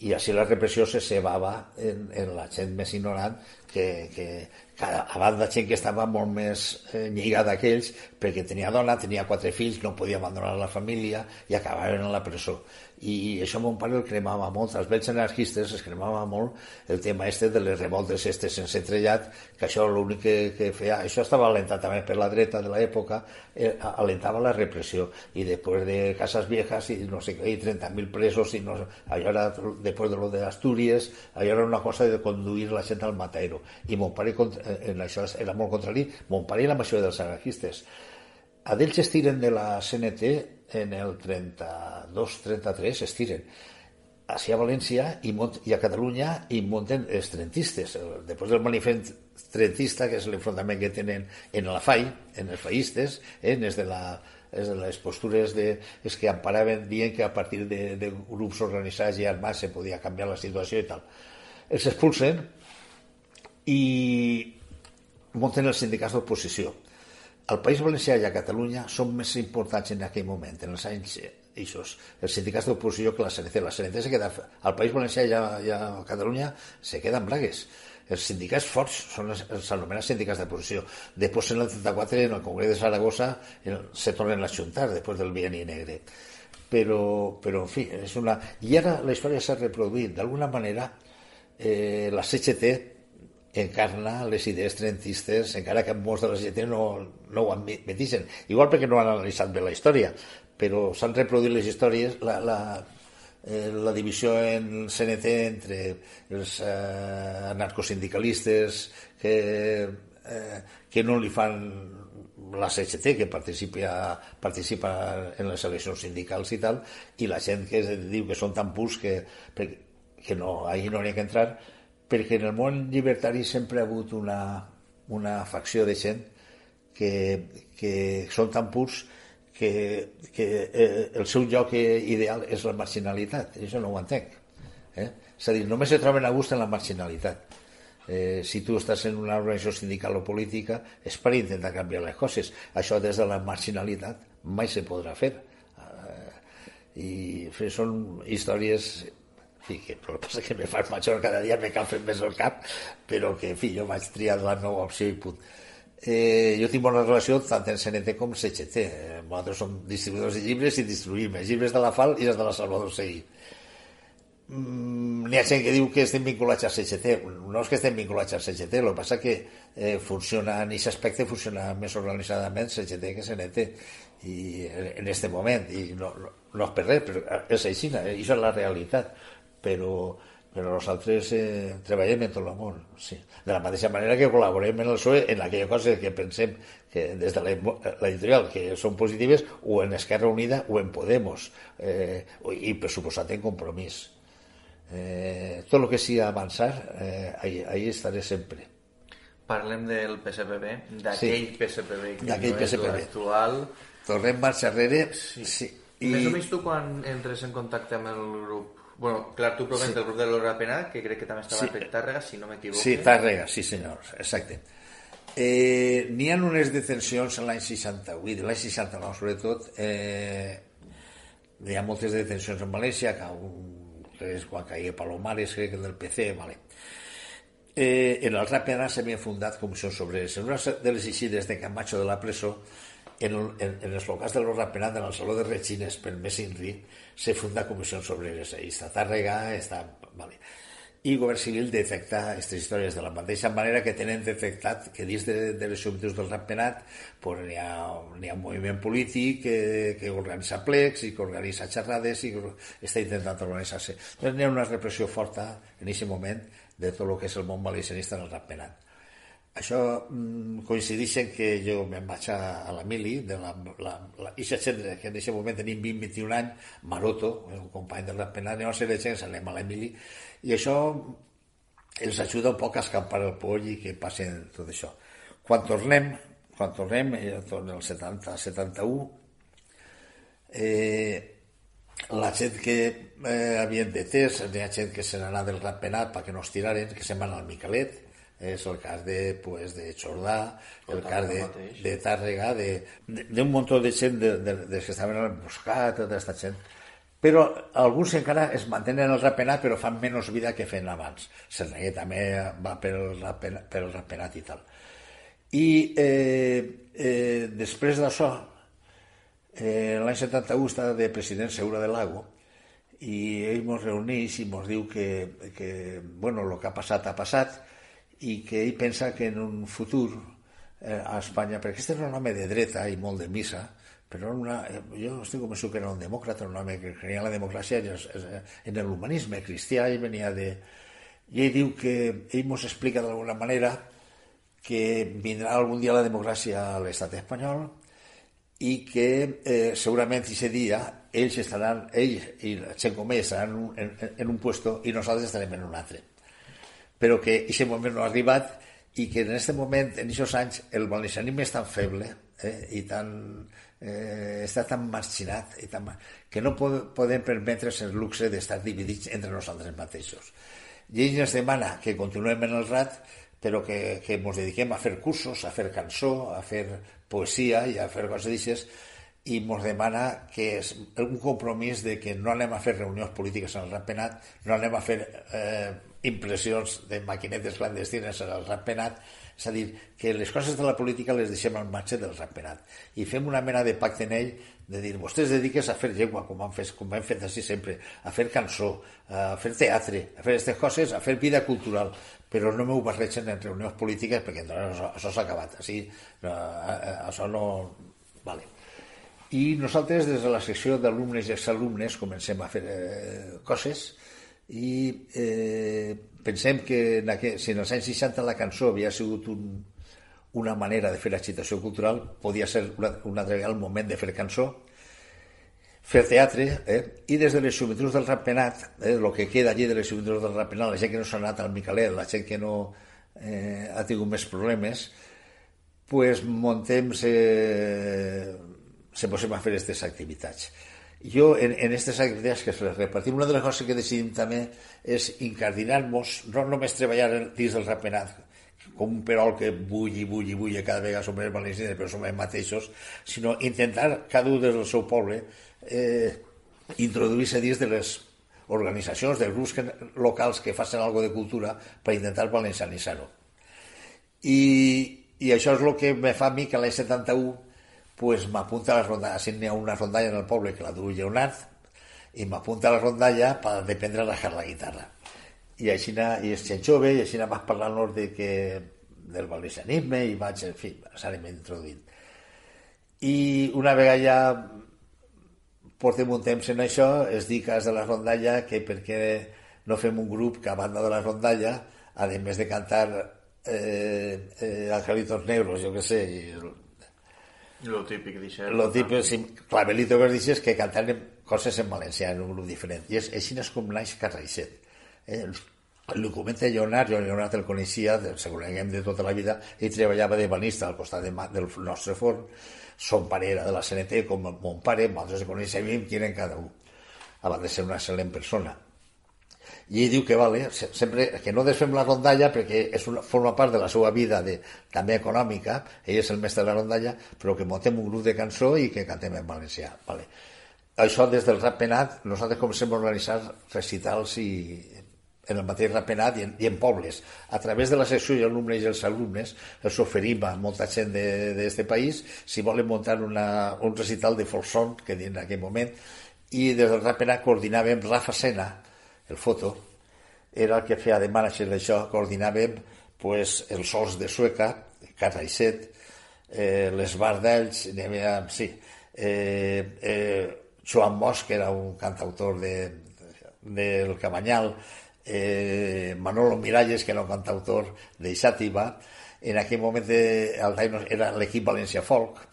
I així la repressió se cebava en la gent més ignorant que a banda gent que estava molt més lligada que ells, perquè tenia dona, tenia 4 fills, no podia abandonar la família i acabaven a la presó. I això mon pare el cremava molt, els vells anarquistes es cremava molt el tema de les revoltes sense trellat, que això l'únic que feia, això estava alentat també per la dreta de l'època, alentava la repressió, i després de Casas Viejas i no sé què, i 30.000 presos, i no, allò era, després de lo de Astúries, allò era una cosa de conduir la gent al matadero, i mon pare en això era molt contrari, mon pare i la majoria dels anarquistes. A d'ells es tiren de la CNT en el 32-33, es tiren així a València i a Catalunya i munten els trentistes. Després del manifest trentista, que és l'enfrontament que tenen en la FAI, en els faïstes, des de les postures és que amparaven dient que a partir de grups organitzats i armats se podia canviar la situació i tal. Els expulsen i munten els sindicats d'oposició. Al País Valencià i a Catalunya són més importants en aquell moment, en els anys eixos, els sindicats d'oposició que la CNT. La CNT se queda, al País Valencià i a Catalunya se queden bragues. Els sindicats forts són els anomenats sindicats d'oposició. Després, en el 34, en el Congrés de Saragossa, se tornen a juntar, després del bienni negre. Però, en fi, és una... I ara la història s'ha reproduït. D'alguna manera, la CGT encarna les idees trentistes, encara que molts de la gent no ho admetixen, igual perquè no han analitzat bé la història, però s'han reproduït les històries, la divisió en CNT entre els anarcosindicalistes que no li fan la CGT, que participa en les eleccions sindicals i tal, i la gent que diu que són tan purs que no, ahir no n'hi ha que entrar, perquè en el món llibertari sempre ha hagut una facció de gent que són tan purs que el seu lloc ideal és la marginalitat. Això no ho entenc. És a dir, només se troben a gust en la marginalitat. Si tu estàs en una organització sindical o política és per intentar canviar les coses. Això des de la marginalitat mai se podrà fer. I són històries... Sí, que el que passa que me fas major cada dia, me cal fer més el cap, però que, en fi, jo vaig triar la nova opció i punt. Jo tinc bona relació tant en CNT com en CGT. Nosaltres som distribuïdors de llibres i distribuïm els llibres de la FAL i els de la Salvador Seguí. N'hi ha gent que diu que estem vinculats a CGT. No és que estem vinculats a CGT, el que passa que funciona, en aquest aspecte funciona més organitzadament CGT que CNT i en aquest moment, i no és per res, però és així, això és la realitat. Però nosaltres treballem en tot el món, sí. De la mateixa manera que col·laborem en el PSOE en aquella cosa que pensem que des de l'editorial que són positives, o en Esquerra Unida o en Podemos, i per suposat en Compromís. Tot el que sigui avançar, ahí estaré sempre. Parlem del PSPB, d'aquell PSPB que no és l'actual. Tornem marxa enrere. Sí. Més o menys tu quan entres en contacte amb el grup. Bueno, clar, tu provens del grup de l'Hora Penal, que crec que també estava per Tàrrega, si no m'equivoco. Sí, Tàrrega, sí senyor, exacte. N'hi ha unes detencions l'any 68, l'any 69 sobretot, hi ha moltes detencions en València, que és quan caia Palomares, crec que del PC, vale. En el Hora Penal s'havien fundat comissions obreres. En una de les eixides de Camacho de la presó, en els locals de l'Hora Penal, en el Saló de Regines, pel mes Inri, se funda comissions obreres. Ahí està Tàrrega, vale. I el Govern Civil detecta aquestes històries de la mateixa manera que tenen detectat que dins de les subdius del Ratpenat pues, n'hi ha un moviment polític que organitza plecs i que organitza xerrades i que està intentant organitzar-se. Doncs n'hi ha una repressió forta en aquest moment de tot el que és el món valencianista en el Ratpenat. Això coincideix en que jo me'n vaig a la mili, ixa gent que en aquest moment tenim 20-21 anys, Maroto, un company del Ratpenat, anem a ser de gent, anem a la mili, i això els ajuda un poc a escampar el poll i que passen tot això. Quan tornem, tornem el 70-71, la gent que havien detès, hi ha gent que se n'anà del Ratpenat perquè no es tiraren, que se'n van al Miquelet. És el cas de Jordà, el cas de Tàrrega, d'un munt de gent dels que estaven al Buscat, tota aquesta gent però alguns encara es mantenen el rapenat però fan menys vida que feien abans. Serneguer també va pel rapenat i tal. I després d'això, l'any 71 està de president Segura del Lago i ell ens reuneix i ens diu que bueno, el que ha passat i que ell pensa que en un futur a Espanya, perquè aquest és un home de dreta i molt de missa, però jo estic convençut que era un demòcrata, un home que creia en la democràcia, en l'humanisme cristià, i venia de... I ell diu que ell ens explica d'alguna manera que vindrà algun dia la democràcia a l'estat espanyol i que segurament aquest dia ell i la gent com ell estaran en un puesto i nosaltres estarem en un altre. Però que aquest moment no ha arribat i que en aquest moment, en aquests anys, el valencianisme és tan feble i està tan marginat que no podem permetre's el luxe d'estar dividits entre nosaltres mateixos. I ell ens demana que continuem en el RAT, però que ens dediquem a fer cursos, a fer cançó, a fer poesia i a fer coses d'aixes, i ens demana que és un compromís de que no anem a fer reunions polítiques en el Ratpenat, no anem a fer impressions de maquinetes clandestines en el Ratpenat, és a dir, que les coses de la política les deixem al marge del Ratpenat i fem una mena de pacte en ell de dir, vostès dediques a fer llengua, com hem fet així sempre, a fer cançó, a fer teatre, a fer aquestes coses, a fer vida cultural, però no m'ho barregen en reunions polítiques perquè això s'ha acabat, així, això no... Vale. I nosaltres des de la secció d'alumnes i exalumnes comencem a fer coses i pensem que si en els anys 60 la cançó havia sigut una manera de fer agitació cultural, podia ser una altra vegada el moment de fer cançó, fer teatre, i des de les joventuts del Ratpenat, el que queda allí de les joventuts del Ratpenat, la gent que no s'ha anat al Micalet, la gent que no ha tingut més problemes, pues montem se posem a fer aquestes activitats. Jo, en aquestes activitats que les repartim, una de les coses que decidim també és incardinar-nos, no només treballar dins del Ratpenat, com un perol que bull, cada vegada som més valencians, però som els mateixos, sinó intentar, cada un del seu poble, introduir-se dins de les organitzacions, dels grups locals que facin alguna de cultura per intentar valencianitzar-ho. I això és el que me fa a mi que l'any 71 pues m'apunta a la rondalla, així n'hi ha una rondalla en el poble que la du Lleonard, i m'apunta a la rondalla per aprendre a tocar la guitarra. I així és gent jove, i així vaig parlant del valencianisme, i vaig, en fi, s'anem introduint. I una vegada ja portem un temps en això, es dic de la rondalla que per què no fem un grup que a banda de la rondalla, a més de cantar Angelitos Negros, jo què sé, lo típic d'això. Lo típic, Clavelito que dices que cantaran coses en valencià en un grup diferent. I així és com naix Carraixet. El comenta Lleonard, jo Lleonard el coneixia, segurament de tota la vida, ell treballava de banista al costat del nostre forn, son pare era de la CNT, com mon pare, nosaltres coneixem qui eren cada un, a banda de ser una excel·lent persona. I ell diu que vale, sempre que no desfem la rondalla perquè forma part de la seva vida també econòmica, ell és el mestre de la rondalla, però que muntem un grup de cançó i que cantem en valencià. Vale. Això des del Ratpenat nosaltres comencem a organitzar recitals en el mateix Ratpenat i en pobles. A través de la secció i alumnes i els alumnes els oferim a molta gent d'aquest país si volen muntar un recital de folk song que en aquell moment, i des del Ratpenat coordinàvem Rafa Sena, el foto, era el que feia de manager d'això, coordinàvem pues, els sols de Sueca, Carraixet, les Bardells, Joan Bosch, que era un cantautor del Cabanyal, Manolo Miralles, que era un cantautor de Xàtiva, en aquell moment era l'equip València Folk,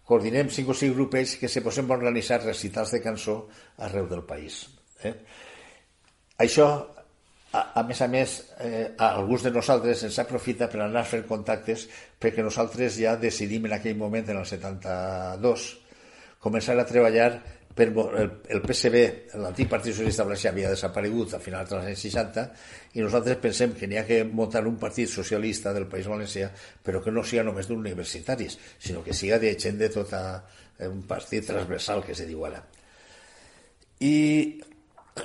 coordinem 5 o 6 grupets que se posen a organitzar recitals de cançó arreu del país. Això, a més, a alguns de nosaltres ens aprofita per anar fent contactes perquè nosaltres ja decidim en aquell moment, en el 72, començar a treballar el PSB, l'antic Partit Socialista Valencià, havia desaparegut a finals dels anys 60 i nosaltres pensem que n'hi ha que muntar un partit socialista del País Valencià, però que no siga només d'universitaris, sinó que siga de gent de tota un partit transversal, que se diu ara. I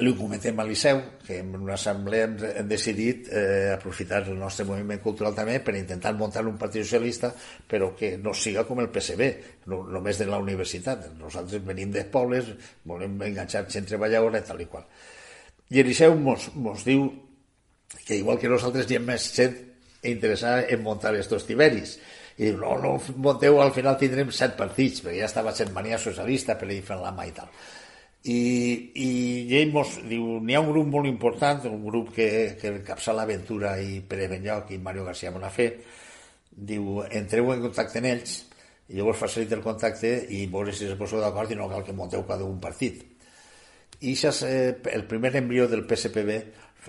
li comentem al Liceu que en una assemblea hem decidit aprofitar el nostre moviment cultural també per intentar muntar un partit socialista, però que no siga com el PSB, només de la universitat. Nosaltres venim de pobles, volem enganxar gent treballadora i tal i qual. I el Liceu mos diu que igual que nosaltres hi ha més gent interessada en muntar estos tiberis. I diu, no munteu, al final tindrem 7 partits, perquè ja estava sent mania socialista per ir fent la mà i tal. I ell mos diu, n'hi ha un grup molt important, un grup que encapçala l'Aventura i Pere Benlloch i Mario García Bonafé. Diu, entreu en contacte amb ells i jo vos facilito el contacte i veure si es poseu d'acord i no cal que monteu cada un partit. I això és el primer embrió del PSPB.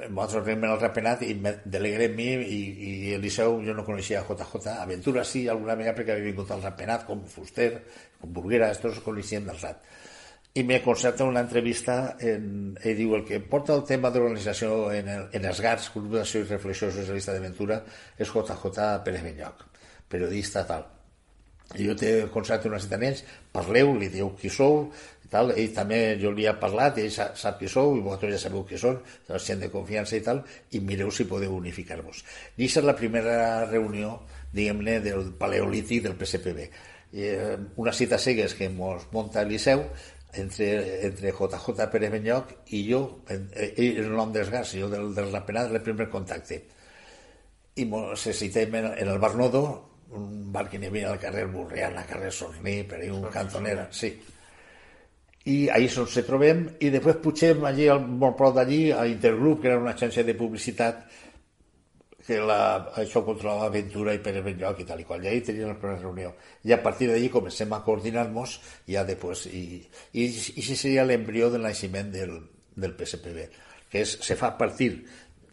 Nosaltres anem al Ratpenat i me deleguem mi i el Liceu. Jo no coneixia JJ, Aventura sí, alguna vegada perquè havia vingut al Ratpenat, com Fuster, com Burguera, estos coneixíem del Rat. I me concerta una entrevista i diu, el que porta el tema d'organització en els GARS, Grup d'Acció i Reflexió Socialista d'Aventura, és JJ Pérez Benlloch, periodista tal. I jo te concerto una cita amb ells, parleu, li diu qui sou i tal, ell també jo li he parlat i ell sap qui sou i vosaltres ja sabeu qui són, gent de confiança i tal, i mireu si podeu unificar-vos. I aquesta és la primera reunió, diguem-ne, del paleolític del PSPB. Una cita cegues que ens munta el Liceu entre JJ Pérez Benlloch i jo, ell és el nom dels GARS, jo del Ratpenat, el primer contacte. I ens citem en el Bar Nodo, un bar que n'hi havia al carrer Burriana, carrer Sorní, per ahí un cantoner, sí. I ahí ens trobem i després pugem allí, molt prop d'allí, a Intergrup, que era una agència de publicitat que això controlava Aventura i Pere Benlloch i tal i qual, i ahí tenien la primera reunió. I a partir d'allí comencem a coordinar-nos ja després, i això seria l'embrió del naixement del PSPB, que se fa a partir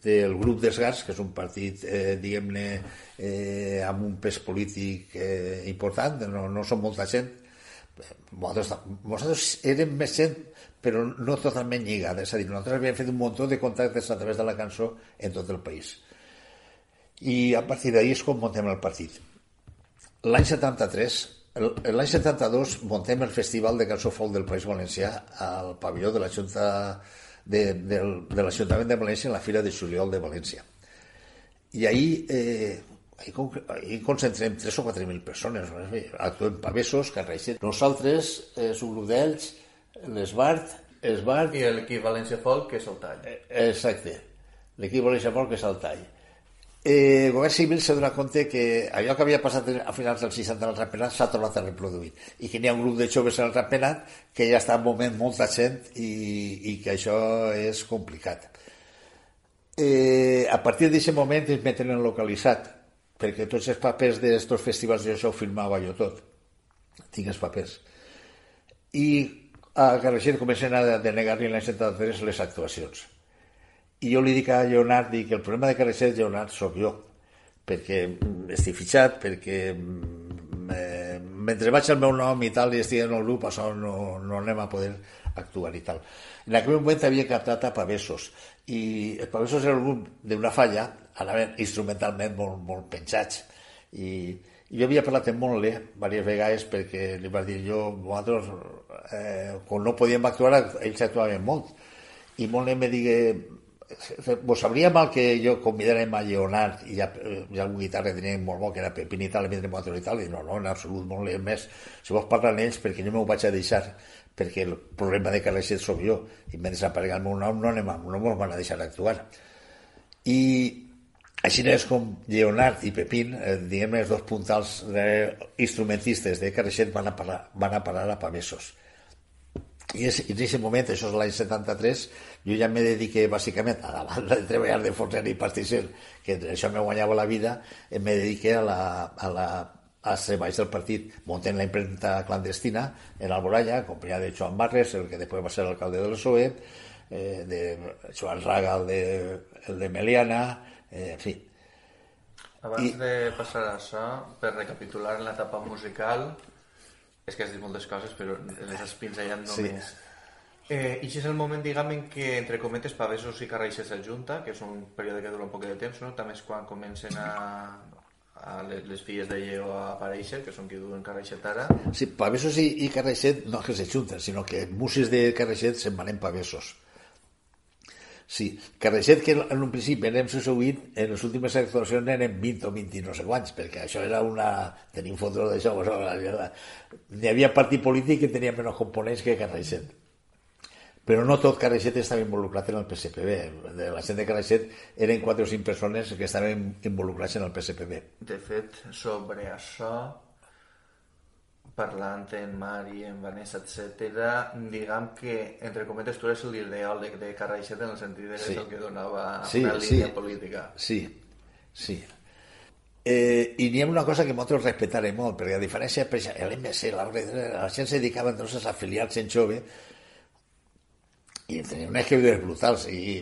del grup dels GARS, que és un partit, diguem-ne, amb un pes polític important, no som molta gent. Nosaltres érem més gent, però no totalment lligada, és a dir, nosaltres havíem fet un munt de contactes a través de la cançó en tot el país. I a partir d'ahir és com muntem el partit. L'any 73, l'any 72 muntem el Festival de Cançó Folk del País Valencià al pavelló de la Junta de l'Ajuntament de València en la Fira de Juliol de València. I ahir concentrem 3 o 4.000 persones, actuem pavessos, carreixers. Nosaltres, és un grup d'ells, l'Esbart... I l'equip València Folk, que és el tall. Exacte, l'equip València Folk, que és el tall. El govern civil s'ha donat compte que allò que havia passat a finals dels 60 al Ratpenat s'ha tornat a reproduir i que n'hi ha un grup de joves al Ratpenat que ja està en moment molta gent i que això és complicat. A partir d'aquest moment ens meten en localitzat, perquè tots els papers d'aquests festivals jo això ho firmava jo tot, tinc els papers, i a Carreixer comencen a denegar-li l'any 73 les actuacions. I jo li dic a Lleonard que el problema de Carreixer, Lleonard, sóc jo, perquè estic fitxat, perquè mentre vaig al meu nom i tal i estic en el grup, això no anem a poder actuar i tal. En aquell moment havia captat a Pavessos, i els Pavessos era un grup d'una falla, anaven instrumentalment molt penjats, i jo havia parlat amb Monle diverses vegades perquè li vaig dir nosaltres, quan no podíem actuar, ells actuaven molt, i Monle me digué, vos sabria mal que jo convidárem a Lleonard i algun guitarra que teníem molt bo, que era Pepín i tal, i tal, i no, en absolut, molt més. Si vols parlar amb ells, perquè no m'ho vaig a deixar, perquè el problema de Carreixet soc jo, i mentre aparega el meu nom no me'ls van a deixar actuar. I així és com Lleonard i Pepín, diguem, els dos puntals instrumentistes de Carreixet van a parar a Pavessos. I en aquest moment, això és l'any 73, jo ja me dediqué bàsicament a la banda de treballar de forner i pastisser, que això me guanyava la vida, me dediqué als treballs del partit, muntant la impremta clandestina en Alboraya, acompanyada de Joan Barres, el que després va ser l'alcalde del PSOE, de Joan Raga, el de Meliana, en fi. Abans de passar a això, per recapitular en l'etapa musical, És que has dit moltes coses, però les has pinzellat només. Sí. I això és el moment, diguem, en què, entre cometes, Pavessos i Carraixet s'ajunta, que és un període que dura un poc de temps, no? També és quan comencen a les filles de Lleó a aparèixer, que són qui duen Carraixet ara. Sí, Pavessos i Carraixet no que s'ajunten, sinó que músics de Carraixet se'n van en Pavessos. Sí, Carraixet, que en un principi érem 18, en les últimes actuacions eren 20 o 20 i no sé quants, perquè això era una... Tenim fotos d'això, n'hi havia partit polític que tenia menys components que Carraixet. Però no tot Carraixet estava involucrat en el PSPB. De la gent de Carraixet eren 4 o 5 persones que estaven involucrats en el PSPB. De fet, sobre això, parlant en Mari, en Vanessa, etc., diguem que, entre cometes, tu eres l'ideòleg de Carraixet en el sentit que és el que donava una línia política. Sí. I n'hi ha una cosa que nosaltres respectarem molt, perquè a diferència, per exemple, l'MC, la gent se dedicava entonces a afiliar-se en jove, i tenia unes quevides brutals, i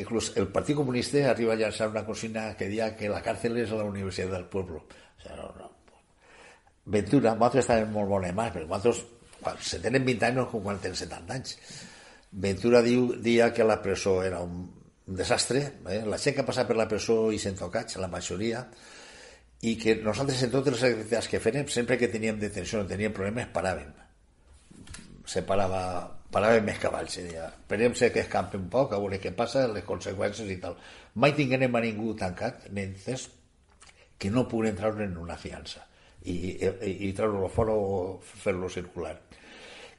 inclús el Partit Comunista arriba a llançar una consigna que deia que la càrcel és la Universitat del Pueblo. O sigui, no. Ventura, nosaltres estàvem molt bones mà, perquè nosaltres, quan se tenen 20 anys, no com quan tenen 70 anys. Ventura dia que la presó era un desastre, la gent que ha passat per la presó i se'n tocats, la majoria, i que nosaltres en totes les activitats que fèiem, sempre que teníem detenció o teníem problemes, paràvem. Paràvem més cavalls, esperem-se que escampi un poc, a veure què passa, les conseqüències i tal. Mai tinguem a ningú tancat, nens, que no pugui entrar en una fiança i treure-lo fora o fer-lo circular.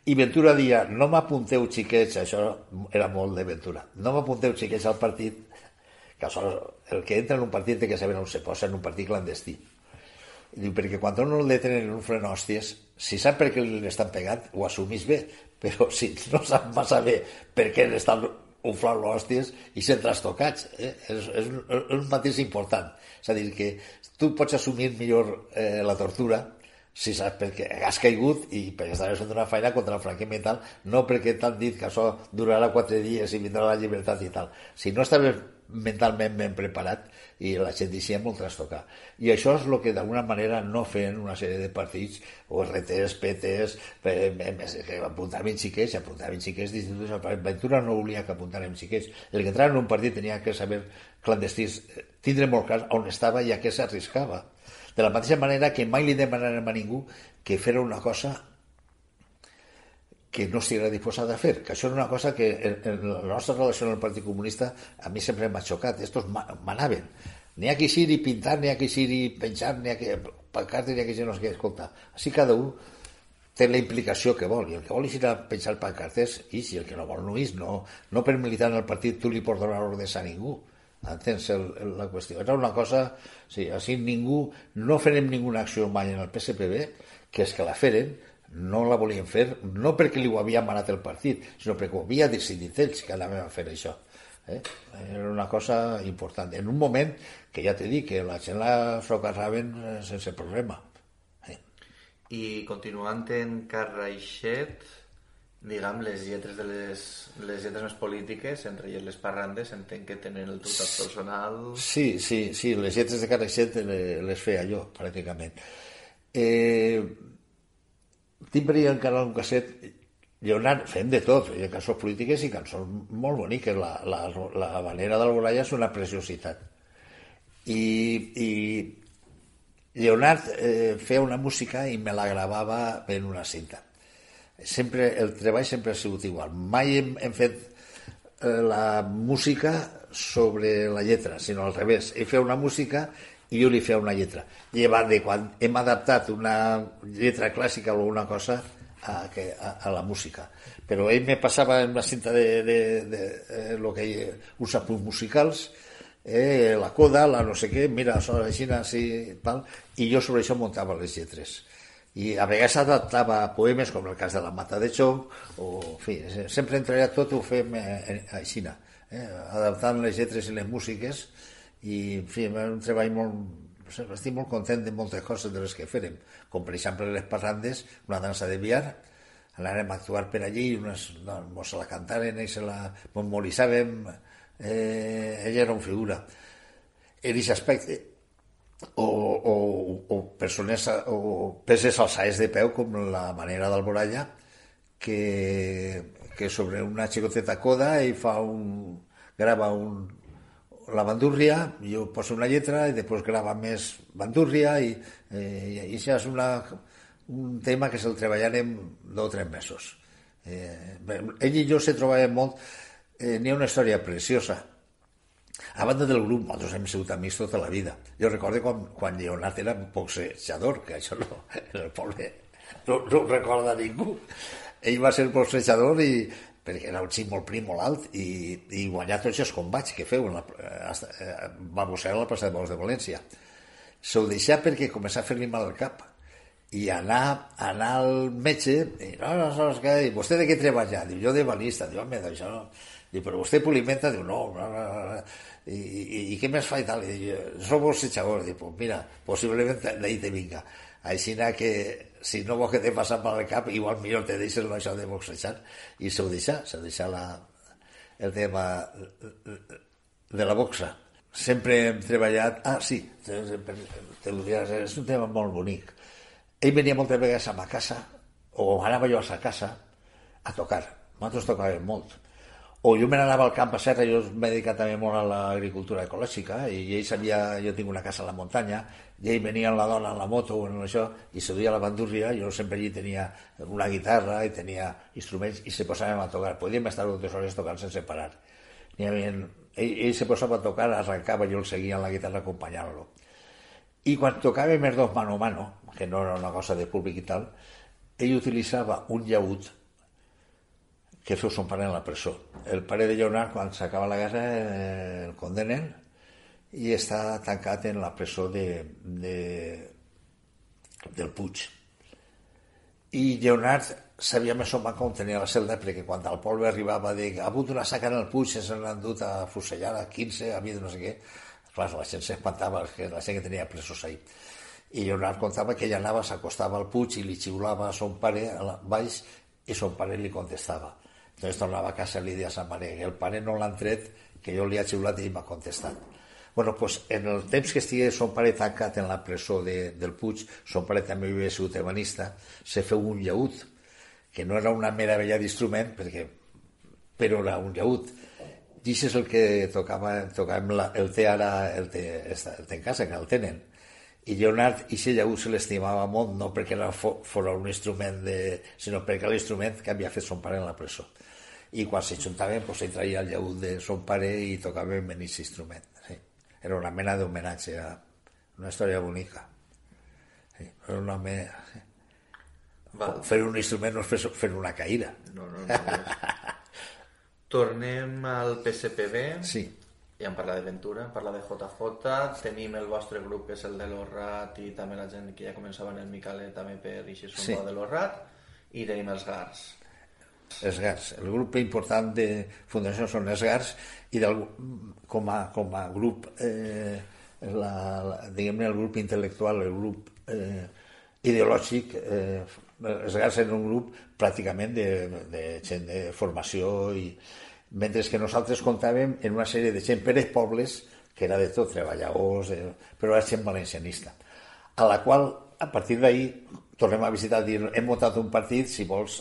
I Ventura dia, no m'apunteu xiquets, això era molt de Ventura, no m'apunteu xiquets al partit, que el que entra en un partit té que saber on se posa, en un partit clandestí. I diu, perquè quan no el detenen en un fren hòsties, si sap per què l'estan pegant, ho assumís bé, però si no sap massa bé per què l'estan unflant l'hòsties i se'n trastocats, és un matís important. És a dir, que tu pots assumir millor la tortura si saps perquè has caigut i perquè estaves fent una feina contra el franquisme i tal, no perquè t'han dit que això durarà 4 dies i vindrà la llibertat i tal. Si no estaves mentalment ben preparat i la gent deixia molt trastocar. I això és el que d'alguna manera no feien una sèrie de partits o RTs, PTs, que apuntaven xiquets d'instituts. Ventura no volia que apuntaren xiquets. El que entrava en un partit tenia que saber clandestins, tindre molt clar on estava i a què s'arriscava. De la mateixa manera que mai li demanarem a ningú que fera una cosa que no estiguera disposat a fer, que això era una cosa que en la nostra relació amb el Partit Comunista a mi sempre m'ha xocat. Estos manaven. N'hi ha que eixir i pintar, n'hi ha que eixir i penjar, n'hi ha que pancartes, n'hi ha que eixir no sé què, escolta. Així cada un té la implicació que vol, i el que vol eixir a penjar pancartes, ix, i el que no vol no ix. No per militar en el partit tu li pots donar ordres a ningú. Entens la qüestió? Era una cosa, sí, així ningú, no farem ninguna acció mai en el PSPB, que és que la feren, no la volien fer, no perquè li ho havia manat el partit, sinó perquè ho havia decidit ells que anaven a fer això. Era una cosa important. En un moment que ja t'he dit que la gent la socarraven sense problema. I continuant en Carraixet, diguem, les lletres de les lletres més polítiques, entre elles les parrandes, entenc que tenen el teu toc personal... Sí, les lletres de Carraixet les feia jo, pràcticament. Tinc per allà encara un casset, Lleonard, fem de tot, feia cançons polítiques i cançons molt boniques. La Habanera d'Alboraya és una preciositat. I Lleonard feia una música i me la gravava en una cinta. El treball sempre ha sigut igual. Mai hem fet la música sobre la lletra, sinó al revés. Ell feia una música i jo li feia una lletra. Llevat de quan hem adaptat una lletra clàssica o alguna cosa a la música. Però ell me passava en una cinta de lo que uns apunts musicals, la coda, la no sé què, mira, així, tal, i jo sobre això muntava les lletres. I a vegades adaptava poemes, com el cas de la Mata de Chong, o, en fi, sempre entre tot ho fem així, adaptant les lletres i les músiques, i, en fi, és un treball molt... Estic molt content de moltes coses de les que fèrem, com per exemple les parrandes, una dansa de biar, anàrem a actuar per allí, mos la cantaren i se la memoritzàvem, ella era una figura. En aquest aspecte, o persones o peces alçades de peu, com la manera d'Alboralla, que sobre una xicoteta coda i grava la bandúrria, jo poso una lletra i després grava més bandúrria i això és un tema que se'l treballarem 2 o 3 mesos. Ell i jo se trobàvem molt. N'hi ha una història preciosa. A banda del grup, nosaltres hem sigut amics tota la vida. Jo recordo quan Lleonard era boxejador, que això no, en el poble no ho recorda ningú. Ell va ser boxejador perquè era un xic molt prim, molt alt, i guanyar tots els combats que feu. Va boxejar a la plaça de Bous de València. S'ho deixà perquè començà a fer-li mal al cap. I anar al metge, i i vostè de què treballa? Diu, jo de balista. Diu, home, d'això no. Diu, però vostè pulimenta? Diu, no. I què més fa i tal? Diu, soc boxejador. Diu, pues mira, possiblement d'ahí te vinga. Així que si no vols que te passa per al cap, igual millor te deixes això de boxejar. I s'ho deixa el tema de la boxa. Sempre hem treballat... Sí, te ho diràs, és un tema molt bonic. Ell venia moltes vegades a ma casa, o anava jo a sa casa, a tocar. Nosaltres tocàvem molt. O jo me n'anava al camp a Serra, jo m'he dedicat també molt a l'agricultura ecològica, i ell sabia, jo tinc una casa a la muntanya, i ell venia amb la dona en la moto o en això, i se duia la bandúrria, jo sempre allí tenia una guitarra i tenia instruments, i se posàvem a tocar. Podíem estar 2 hores tocant sense parar. Ell se posava a tocar, arrencava, jo el seguia en la guitarra acompanyant-lo. I quan tocàvem els 2 mano a mano, que no era una cosa de públic i tal, ell utilitzava un llaüt que feu son pare en la presó. El pare de Lleonard, quan s'acaba la guerra, el condenen i està tancat en la presó del Puig. I Lleonard sabia més o menys com tenia la celda, perquè quan al poble arribava de ha hagut una saca en el Puig, se l'han dut a fusellar a 15, a mi de no sé què. Clar, la gent s'espantava, la gent que tenia presos ahí. I Lleonard contava que ell anava, s'acostava al Puig i li xiulava a son pare baix i son pare li contestava. Entonces tornava a casa i li deia a sa mare que el pare no l'han tret, que jo li ha xiulat i ell m'ha contestat. Bueno, pues en el temps que estigui son pare tancat en la presó del Puig, son pare també havia sigut ebanista, se feu un llaüt, que no era una meravella d'instrument, però era un llaüt. I això és el que tocàvem el té ara, el té en casa, que el tenen. I Lleonard, aquest llaüt se l'estimava molt, no perquè fos un instrument, sinó perquè l'instrument que havia fet son pare en la presó. I quan s'ajuntaven, ell traia el llaüt de son pare i tocàvem en aquest instrument. Sí. Era una mena d'homenatge, una història bonica. Sí. Era una mena... Sí. Fer un instrument no és fer una caïra. No. Tornem al PSPB. Sí. Ja hem parlat d'Aventura, hem parlat de JJ, tenim el vostre grup que és el de l'Orrat i també la gent que ja començava en el Micalet també per eixir son de l'Orrat, i tenim els GARS. Els GARS. El grup important de fundació són els GARS i com a grup, diguem-ne el grup intel·lectual, el grup ideològic, els GARS eren un grup pràcticament de gent de formació, mentre que nosaltres comptàvem en una sèrie de gent per els pobles, que era de tot, treballadors, però era gent valencianista, a la qual, a partir d'ahir, tornem a visitar, hem muntat un partit, si vols,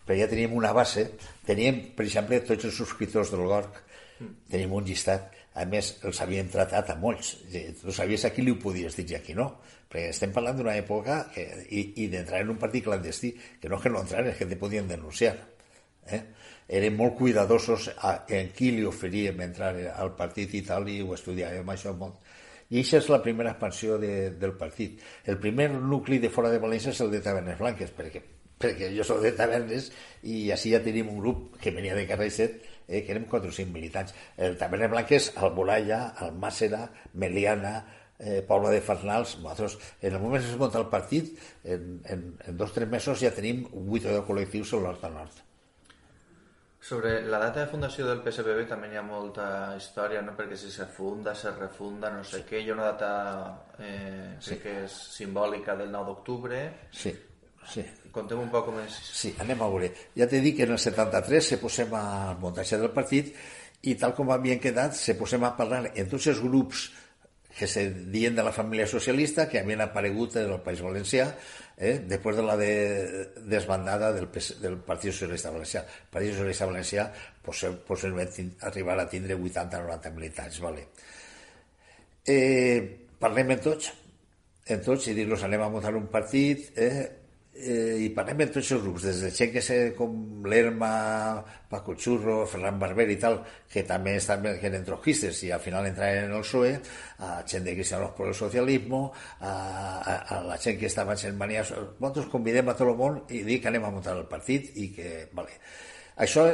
però ja teníem una base, teníem, per exemple, tots els subscriptors del GORC, teníem un llistat, a més, els havíem tratat a molts, tu sabies a qui li ho podies dir i a qui no, perquè estem parlant d'una època i d'entrar en un partit clandestí, que no és que no entraran, és que te podien denunciar. Eren molt cuidadosos en qui li oferíem entrar al partit i tal, i ho estudiàvem això molt. I aquesta és la primera expansió del partit. El primer nucli de fora de València és el de Tavernes Blanques, perquè jo soc de Tavernes i així ja tenim un grup que venia de Carrer 7, que érem 4 o 5 militants. El Tavernes Blanques, Alboralla, Almàssera, Meliana, Pobla de Farnals. Nosaltres, en el moment que es munta el partit, en 2 o 3 mesos ja tenim 8 o 10 col·lectius a l'Hort a Nord. Sobre la data de fundació del PSPB també hi ha molta història, no? Perquè si se funda, se refunda, no sé què. Hi ha una data crec que és simbòlica del 9 d'octubre. Sí. Contem un poc com és. Sí, anem a veure. Ja t'he dit que en el 73 se posem al muntatge del partit i tal com havien quedat se posem a parlar en tots els grups que se diuen de la família socialista, que havien aparegut en el País Valencià després de la desbandada del Partit Socialista Valencià. El Partit Socialista Valencià possiblement arribarà a tindre 80-90 militants. Vale. Parlem en tots i dir-los anem a muntar un partit, i parlem en tots els grups, des de gent que sé com l'Erma, Paco Churro, Ferran Barber i tal, que també eren trotskistes i al final entraven en el PSOE, a gent de Cristianos por el Socialismo, a la gent que estava en Mania. Nosaltres convidem a tot el món i dic que anem a muntar el partit i que... Vale. Això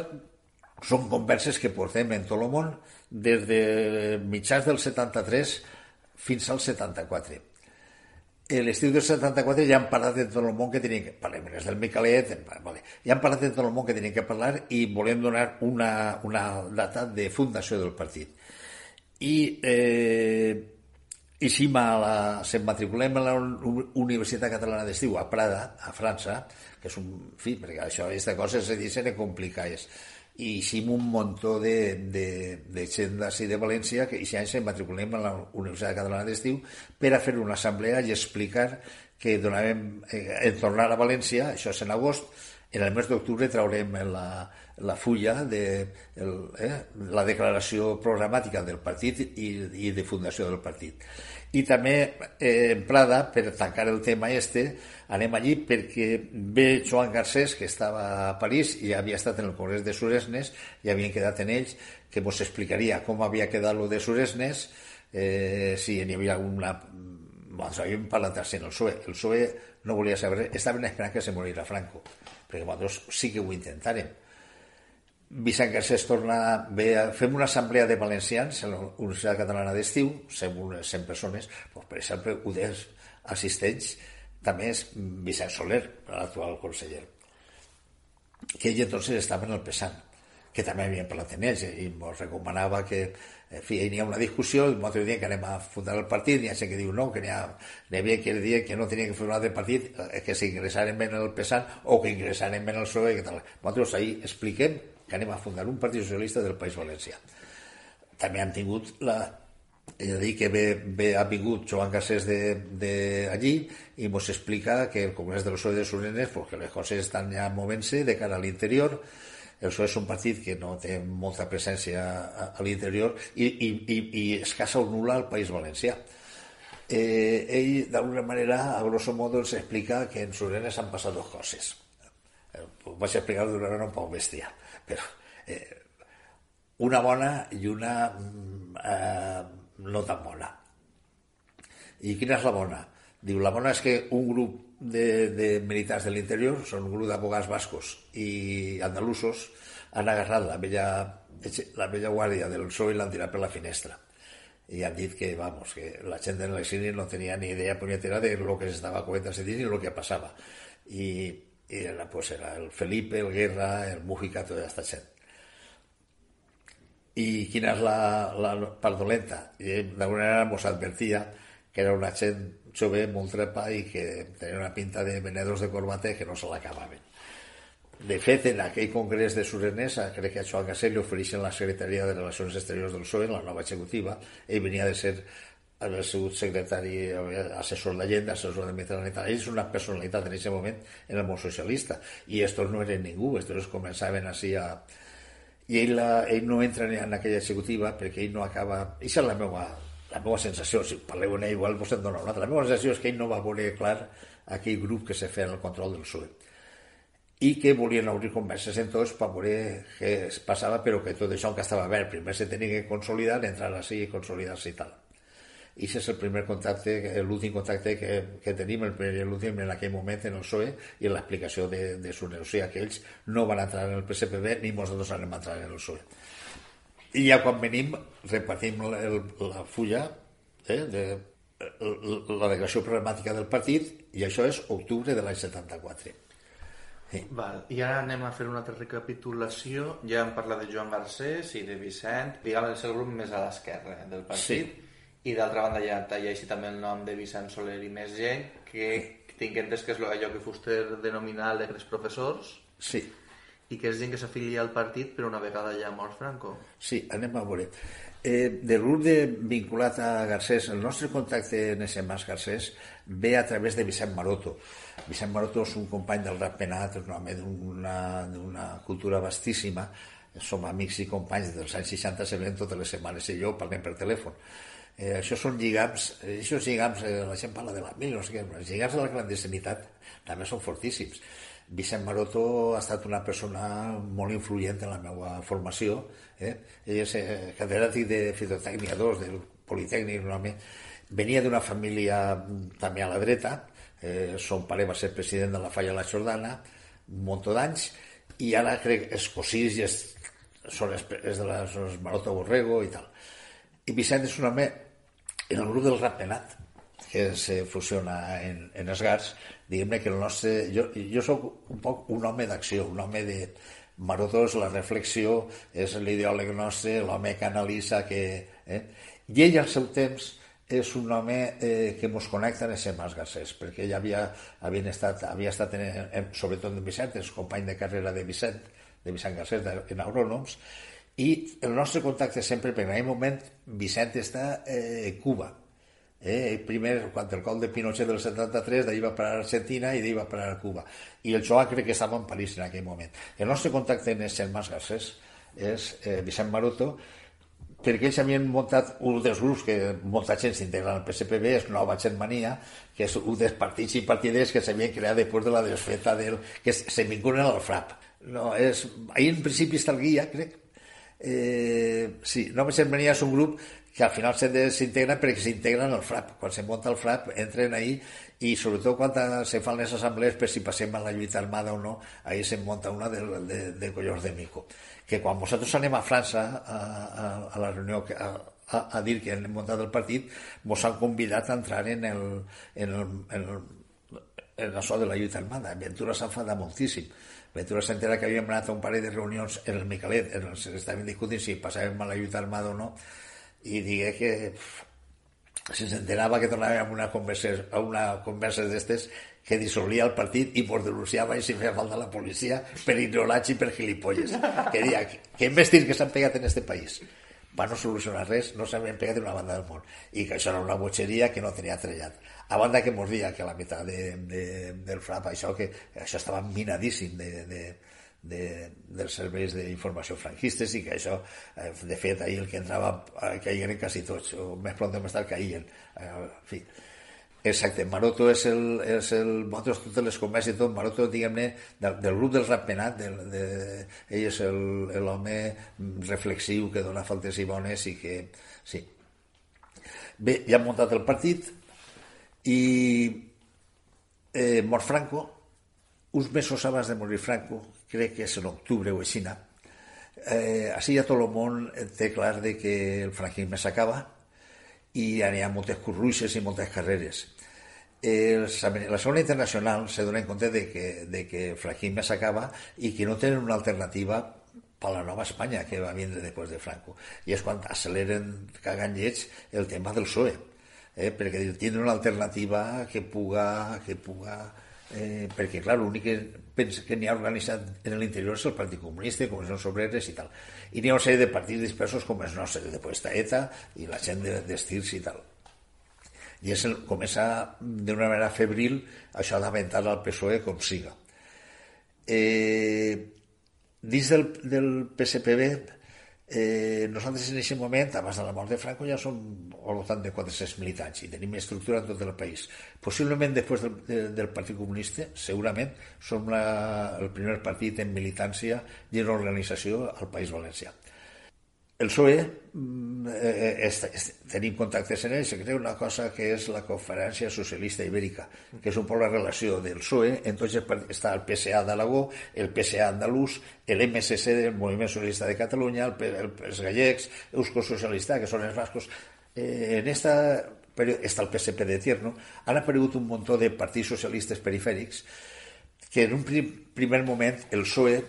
són converses que portem en tot el món des de mitjans del 73 fins al 74. L'estiu del 74 ja han parlat de tot el món que tenien que parlar, del Micalet, ja han parlat de tot el món que tenien que parlar i volem donar una data de fundació del partit. I si se'n matriculem a la Universitat Catalana d'Estiu a Prada, a França, que és un fi, perquè això, aquestes coses se dicen complicades, i hicim un muntó de gent d'ací de València que aquest any se'n matriculem a la Universitat Catalana d'Estiu per a fer una assemblea i explicar que donàvem en tornar a València, això és en agost, en el mes d'octubre traurem la fulla de la declaració programàtica del partit i de fundació del partit. I també en Prada, per tancar el tema anem allí perquè ve Joan Garcés, que estava a París i havia estat en el Congrés de Suresnes i havien quedat en ells, que ens explicaria com havia quedat lo de Suresnes, si n'hi havia alguna... Doncs havíem parlat així en el PSOE. El PSOE no volia saber, estaven esperant que se morira Franco, perquè nosaltres sí que ho intentàrem. Vicent Garcés torna, fem una assemblea de valencians a la Universitat Catalana d'Estiu, 100 persones, per exemple, un dels assistents també és Vicent Soler, l'actual conseller, que ell entonces estava en el PSAN, que també havien parlat en ells i ens recomanava que hi havia una discussió i nosaltres diem que anem a fundar el partit, hi ha gent que diu no, que n'hi havia que dir que no tenia que fer un altre partit, que s'ingressaren en el PSAN o que ingressaren en el PSOE, que tal. Nosaltres ahir expliquem que anem a fundar un partit socialista del País Valencià. També han tingut és a dir, que ha vingut Joan Garcés d'allí i ens explica que el Congrés del PSOE de Suresnes, que les coses estan ja movent-se de cara a l'interior. El PSOE és un partit que no té molta presència a l'interior i escassa o nul·la al País Valencià. Ell, d'alguna manera, a grosso modo, ens explica que en Suresnes han passat dues coses. Ho vaig explicar d'una manera un poc bèstia, però una bona i una no tan bona. I quina és la bona? Diu, la bona és que un grup de militars de l'interior, són un grup d'abogats bascos i andalusos, han agarrat la vella guàrdia del PSOE i l'han tirat per la finestra. I han dit que, que la gent de l'exili no tenia ni idea punyetera de lo que s'estava comentant ni lo que passava. I era el Felipe, el Guerra, el Mújica, tota aquesta gent. I quina és la part dolenta? D'alguna manera ens advertia que era una gent jove, molt trepa i que tenia una pinta de venedors de corbata que no se l'acabaven. De fet, en aquell congrés de Suresnes, crec que a Joan Garcés li ofereixen la secretaria de Relacions Exteriors del PSOE, la nova executiva. Ell venia de ser el seu secretari, assessor d'Allenda, assessor de Mitterrand. Ell és una personalitat en aquest moment en el món socialista. I estos no eren ningú, estos començaven així a... I ell no entra en aquella executiva perquè ell no acaba... Aquesta és la meva sensació, si parleu en ell igual vos en dona una altra. La meva sensació és que ell no va veure clar aquell grup que se feia en el control del PSOE i que volien obrir converses en tots per veure què es passava, però que tot això que estava verd, primer se tenia que consolidar, entrar així i consolidar-se i tal. I aquest és el primer contacte, l'últim contacte que tenim, el primer i l'últim en aquell moment en el PSOE i en l'explicació de Suresnes. O sigui que ells no van entrar en el PSPB ni nosaltres anem a entrar en el PSOE. I ja quan venim repartim la fulla de la declaració programàtica del partit i això és octubre de l'any 74. Sí. Val. I ara anem a fer una altra recapitulació. Ja hem parlat de Joan Garcés i de Vicent, diguem és el grup més a l'esquerra del partit, i d'altra banda ja hi ha així també el nom de Vicent Soler i més gent, que tinc entès que és allò que fuster denominar alegres professors. Sí. I que és gent que s'afilia al partit, però una vegada ja mort Franco. Sí, anem a veure. Del grup vinculat a Garcés, el nostre contacte en SMS Garcés ve a través de Vicent Maroto. Vicent Maroto és un company del Rap Penat, és un home d'una cultura vastíssima. Som amics i companys dels anys 60, se veiem totes les setmanes i jo parlem per telèfon. Això són lligams, la gent parla de la mil, no sé què, els lligams de la clandestinitat també són fortíssims. Vicent Maroto ha estat una persona molt influent en la meva formació. Ell és catedràtic de fitotècnia 2 del Politècnic, un home. Venia d'una família també a la dreta, son pare va ser president de la Falla de la Jordana un munt d'anys, i ara crec que els cosins són els Maroto Borrego i tal. I Vicent és un home en el grup del Rap Penat, que se fusiona en Esgars. Diguem-ne que el nostre... Jo soc un poc un home d'acció, un home de... Maroto és la reflexió, és l'ideòleg nostre, l'home que analitza, I ell al seu temps és un home que ens connecta en SMS Garcés, perquè ell havia estat sobretot en Vicent, és company de carrera de Vicent Garcés en Agrònoms, i el nostre contacte sempre, perquè en aquell moment Vicent està a Cuba. Primer, quan el cop de Pinochet del 73, d'ahir va parar a Argentina i d'ahir va parar a Cuba. I el Joan crec que estava en París en aquell moment. El nostre contacte en SMS Garcés és Vicent Maroto, perquè ells havien muntat un dels grups que molta gent s'integra al PSPB, és Nova Germania, que és un dels partits i partiders que s'havien creat després de la desfeta que se vinculen al FRAP. Ahir en principi està el guia, crec. Sí, Nova Germania és un grup que al final se desintegren perquè s'integren al FRAP. Quan se munta el FRAP entren ahí, i sobretot quan se fan les assemblees per si passem a la lluita armada o no, ahí se munta una de collons de mico. Que quan nosaltres anem a França a la reunió a dir que hem muntat el partit, ens han convidat a entrar en això de la lluita armada. Ventura s'enfada moltíssim. Ventura s'entera que havíem anat a un parell de reunions en el Micalet, estaven discutint si passàvem a la lluita armada o no, i digué que si s'enterava que tornàvem a una conversa d'estes que dissolia el partit i ens denunciava i si feia falta la policia per ignorats i per gilipolles. Que deia que investir que s'han pegat en este país va no solucionar res, no s'havien pegat en una banda del món, i que això era una botxeria que no tenia trellat. A banda que mos dia que a la meitat del FRAP això estava minadíssim dels serveis d'informació franquistes, i que això, de fet, ahir el que entrava caïen quasi tots, o més pront de més tard caïen. En fi. Exacte, Maroto és nosaltres totes les converses i tot, Maroto, diguem-ne, del grup del Rap Penat, ell és l'home reflexiu que dona faltes i bones, i que, sí. Bé, ja hem muntat el partit, i mor Franco, uns mesos abans de morir Franco, crec que és en octubre o així, així ja tot el món té clar que el franquisme s'acaba i hi ha moltes curruixes i moltes carreres. La Segona Internacional se dona en compte de que el franquisme s'acaba i que no tenen una alternativa per a la nova Espanya que va vindre després de Franco. I és quan acceleren, cagant lleig, el tema del PSOE, perquè tindre una alternativa que puga perquè, clar, l'únic que pensa que n'hi ha organitzat en l'interior és el Partit Comunista, Comissions Obreres i tal. I n'hi ha una sèrie de partits dispersos com els nostres, després està ETA i la gent d'estirs i tal. I comença d'una manera febril això d'aventar al PSOE com siga. Dins del PSPB, nosaltres en aquest moment, abans de la mort de Franco, ja som al voltant de 400 militants i tenim estructura en tot el país. Possiblement després del Partit Comunista, segurament som el primer partit en militància i en organització al País Valencià. El PSOE, tenim contactes en ell, se crea una cosa que és la Conferència Socialista Ibèrica, que és un poc la relació del PSOE, entonces està el PSA d'Aragó, el PSA andalús, el MSC del Moviment Socialista de Catalunya, els gallecs, Eusko Socialista, que són els bascos. En esta periodo està el PSP de Tierno, han aparegut un munt de partits socialistes perifèrics que en un primer moment el PSOE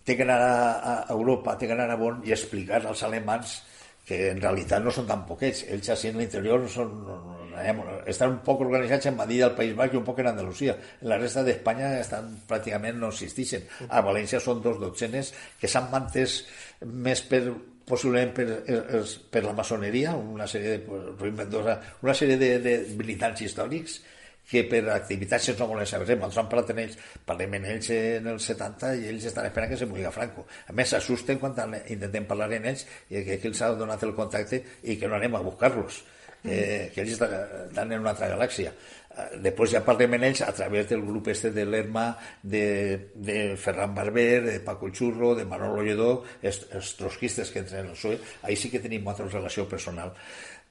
té que anar a Europa, té que anar a Bonn i explicar als alemans que en realitat no són tan poquets. Ells així en l'interior són estan un poc organitzats en Madrid, al País Basc, i un poc en Andalusia. En la resta d'Espanya pràcticament no existeixen. A València són 2 dotzenes que s'han mantès més possiblement per la maçoneria, una sèrie de militants històrics que per activitats no volen saber. Nosaltres parlem amb ells en els 70 i ells estan esperant que se moriga Franco. A més, s'assusten quan intentem parlar amb ells i que els ha donat el contacte i que no anem a buscar-los, que ells estan en una altra galàxia. Després ja parlem amb ells a través del grup de l'ERMA, de Ferran Barber, de Paco Churro, de Manolo Lledó, els trotskistes que entren al PSOE. Ahí sí que tenim una relació personal.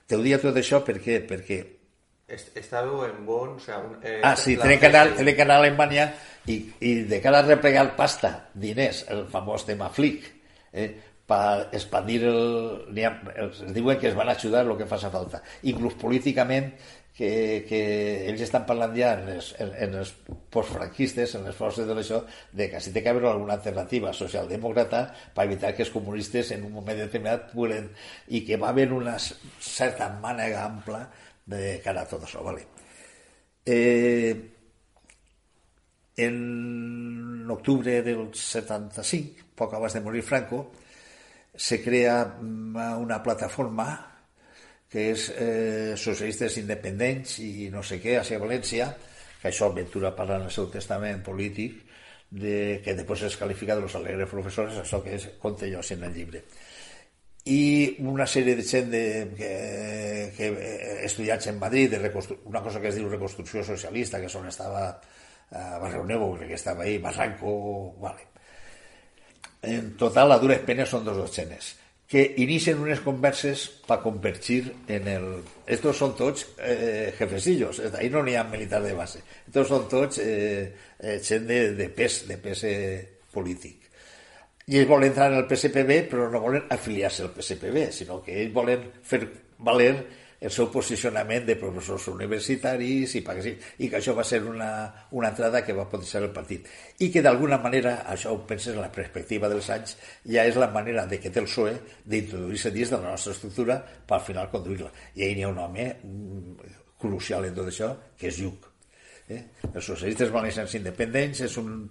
Te ho dia tot això perquè estàveu en bon... sí, tenen canal a Alemanya i de cara a replegar pasta, diners, el famós tema Flick, per expandir els diuen que es van ajudar el que faci falta. Inclús políticament, que ells estan parlant ja en els postfranquistes, en les forces de l'això, de que si té que haver alguna alternativa socialdemòcrata per evitar que els comunistes en un moment determinat puguin, i que va haver una certa mànega ampla de cara a tot això, vale. En octubre del 75, poc abans de morir Franco, se crea una plataforma que és socialistes independents i no sé què, a València, que això Ventura parla en el seu testament polític, que després es qualifica de los alegres professors, això que conté jo en el llibre. I una sèrie de gent que estudiats en Madrid, una cosa que es diu reconstrucció socialista, que estava a Barrio Nuevo, crec que estava ahí, Barranco, vale. En total, a dures penes són 2 dotzenes, que inicien unes converses per convertir en el... Estos són tots jefecillos, ahí no n'hi ha militar de base, estos són tots gent de pes polític. I ells volen entrar en el PSPB, però no volen afiliar-se al PSPB, sinó que ells volen fer valer el seu posicionament de professors universitaris i que això va ser una entrada que va potenciar el partit. I que d'alguna manera, això ho penses en la perspectiva dels anys, ja és la manera de que té el PSOE d'introduir-se dins de la nostra estructura per al final conduir-la. I ahir n'hi ha un home crucial en tot això, que és Lluc. Els socialistes valencians independents són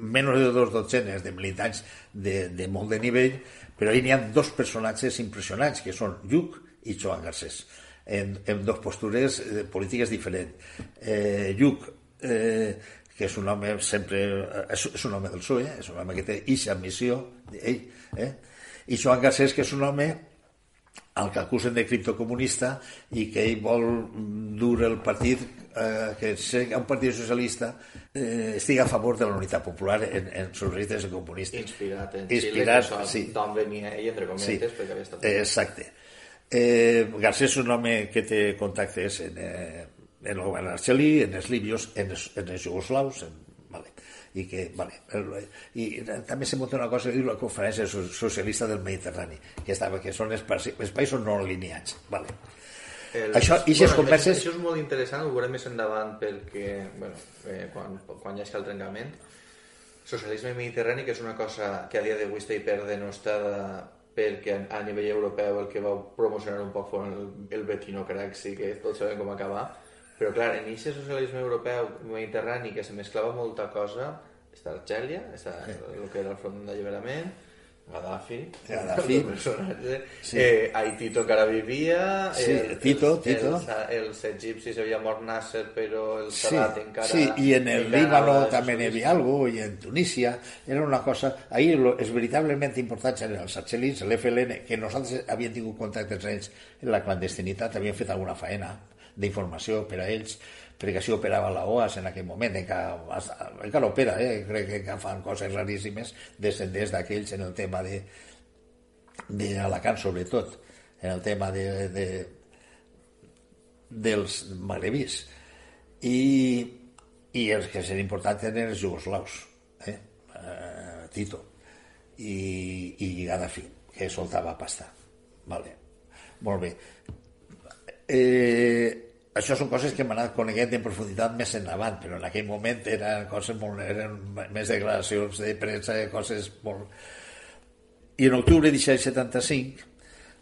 menys de 2 dotzenes de militants de molt de nivell, però ahí n'hi ha 2 personatges impressionants, que són Lluc i Joan Garcés, en 2 postures polítiques diferents. Lluc, que és un home sempre... és un home del PSOE, és un home que té eixa missió, i Joan Garcés, que és un home al que acusen de criptocomunista i que ell vol dur el partit, que un partit socialista estigui a favor de la unitat popular en socialistes i comunistes. Inspirat en Xile, que d'on venia ell, entre cometes, perquè havia estat... Exacte. Garcés és un home que té contactes en el govern argelí, en els libios, en els jugoslaus, i que, i també se munta una cosa que diu la Conferència Socialista del Mediterrani, que són els països no alineats. Això és molt interessant, ho veurem més endavant, perquè quan hi hagi el trencament, socialisme mediterrani, que és una cosa que a dia d'avui està hiperdenostada, perquè a nivell europeu el que va promocionar un poc fos el Bettino Craxi, que tots sabem com acabar, però clar, en aquest socialisme europeu mediterrani que se mesclava molta cosa, està Argèlia, està el que era el front d'alliberament, Gaddafi, el personatge, Tito que ara vivia, els egipcis havia mort Nasser, però el Sadat encara... Sí, i en el Líbano també n'hi havia alguna cosa, i en Tunísia, era una cosa... Ahir és veritablement important eren els argelins, l'FLN, que nosaltres havíem tingut contactes amb ells en la clandestinitat, havíem fet alguna faena d'informació per a ells, perquè així operava la OAS en aquell moment, encara opera, crec que fan coses raríssimes, descendents d'aquells en el tema d'Alacant, sobretot, en el tema dels magrebís. I els que serien importants eren els jugoslaus, Tito i Gaddafi, que soltava pasta. Molt bé. Això són coses que hem anat coneguent en profunditat més endavant, però en aquell moment eren més declaracions de premsa, coses molt... I en octubre de 75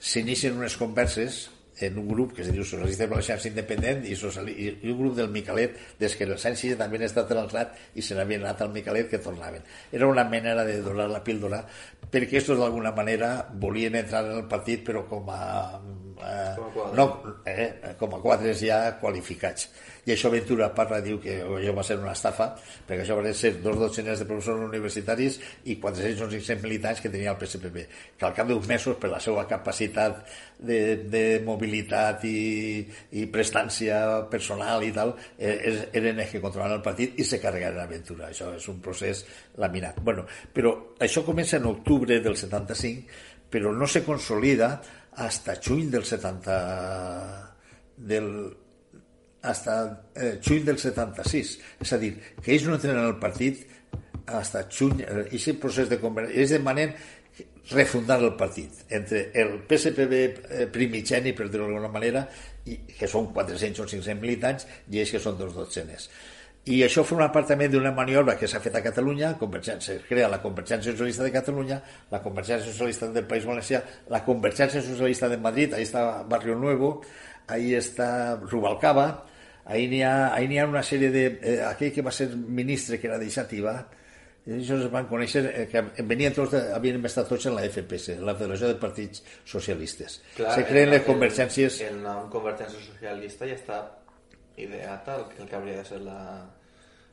s'inicien unes converses en un grup que es diu Socialistes Valencians Independent i un grup del Micalet, des que els anys 60 havien estat en el RAT i se n'havien anat al Micalet, que tornaven. Era una manera de donar la píldora, perquè estos d'alguna manera volien entrar en el partit, però com a quadres ja qualificats. I això Ventura parla, diu que això va ser una estafa, perquè això van ser 2 dotzenes de professors universitaris i 400 o 500 militants que tenia el PSPB, que al cap d'uns mesos, per la seva capacitat de mobilitat i prestància personal i tal, eren els que controlaven el partit i se carregaren a Ventura. Això és un procés laminat. Bueno, però això comença en octubre del 75, però no se consolida hasta juny del 76, és a dir, que ells no entren en el partit hasta juny, i aquest procés de conversió, ells demanen refundar el partit entre el PSPB primigeni, per dir-ho d'alguna manera, que són 400 o 500 militants, i ells que són 2 dotzenes. I això forma part també d'una maniobra que s'ha fet a Catalunya. Es crea la Convergència Socialista de Catalunya, la Convergència Socialista del País Valencià, la Convergència Socialista de Madrid, ahí està Barrio Nuevo, ahí està Rubalcaba, ahí n'hi ha una sèrie de... aquell que va ser ministre, que era de Xàtiva, ells es van conèixer, que venien tots, havien estat tots en la FPS, la Federació de Partits Socialistes. Clar, se creen les convergències... El nom Convergència Socialista ja està ideat el que hauria de ser la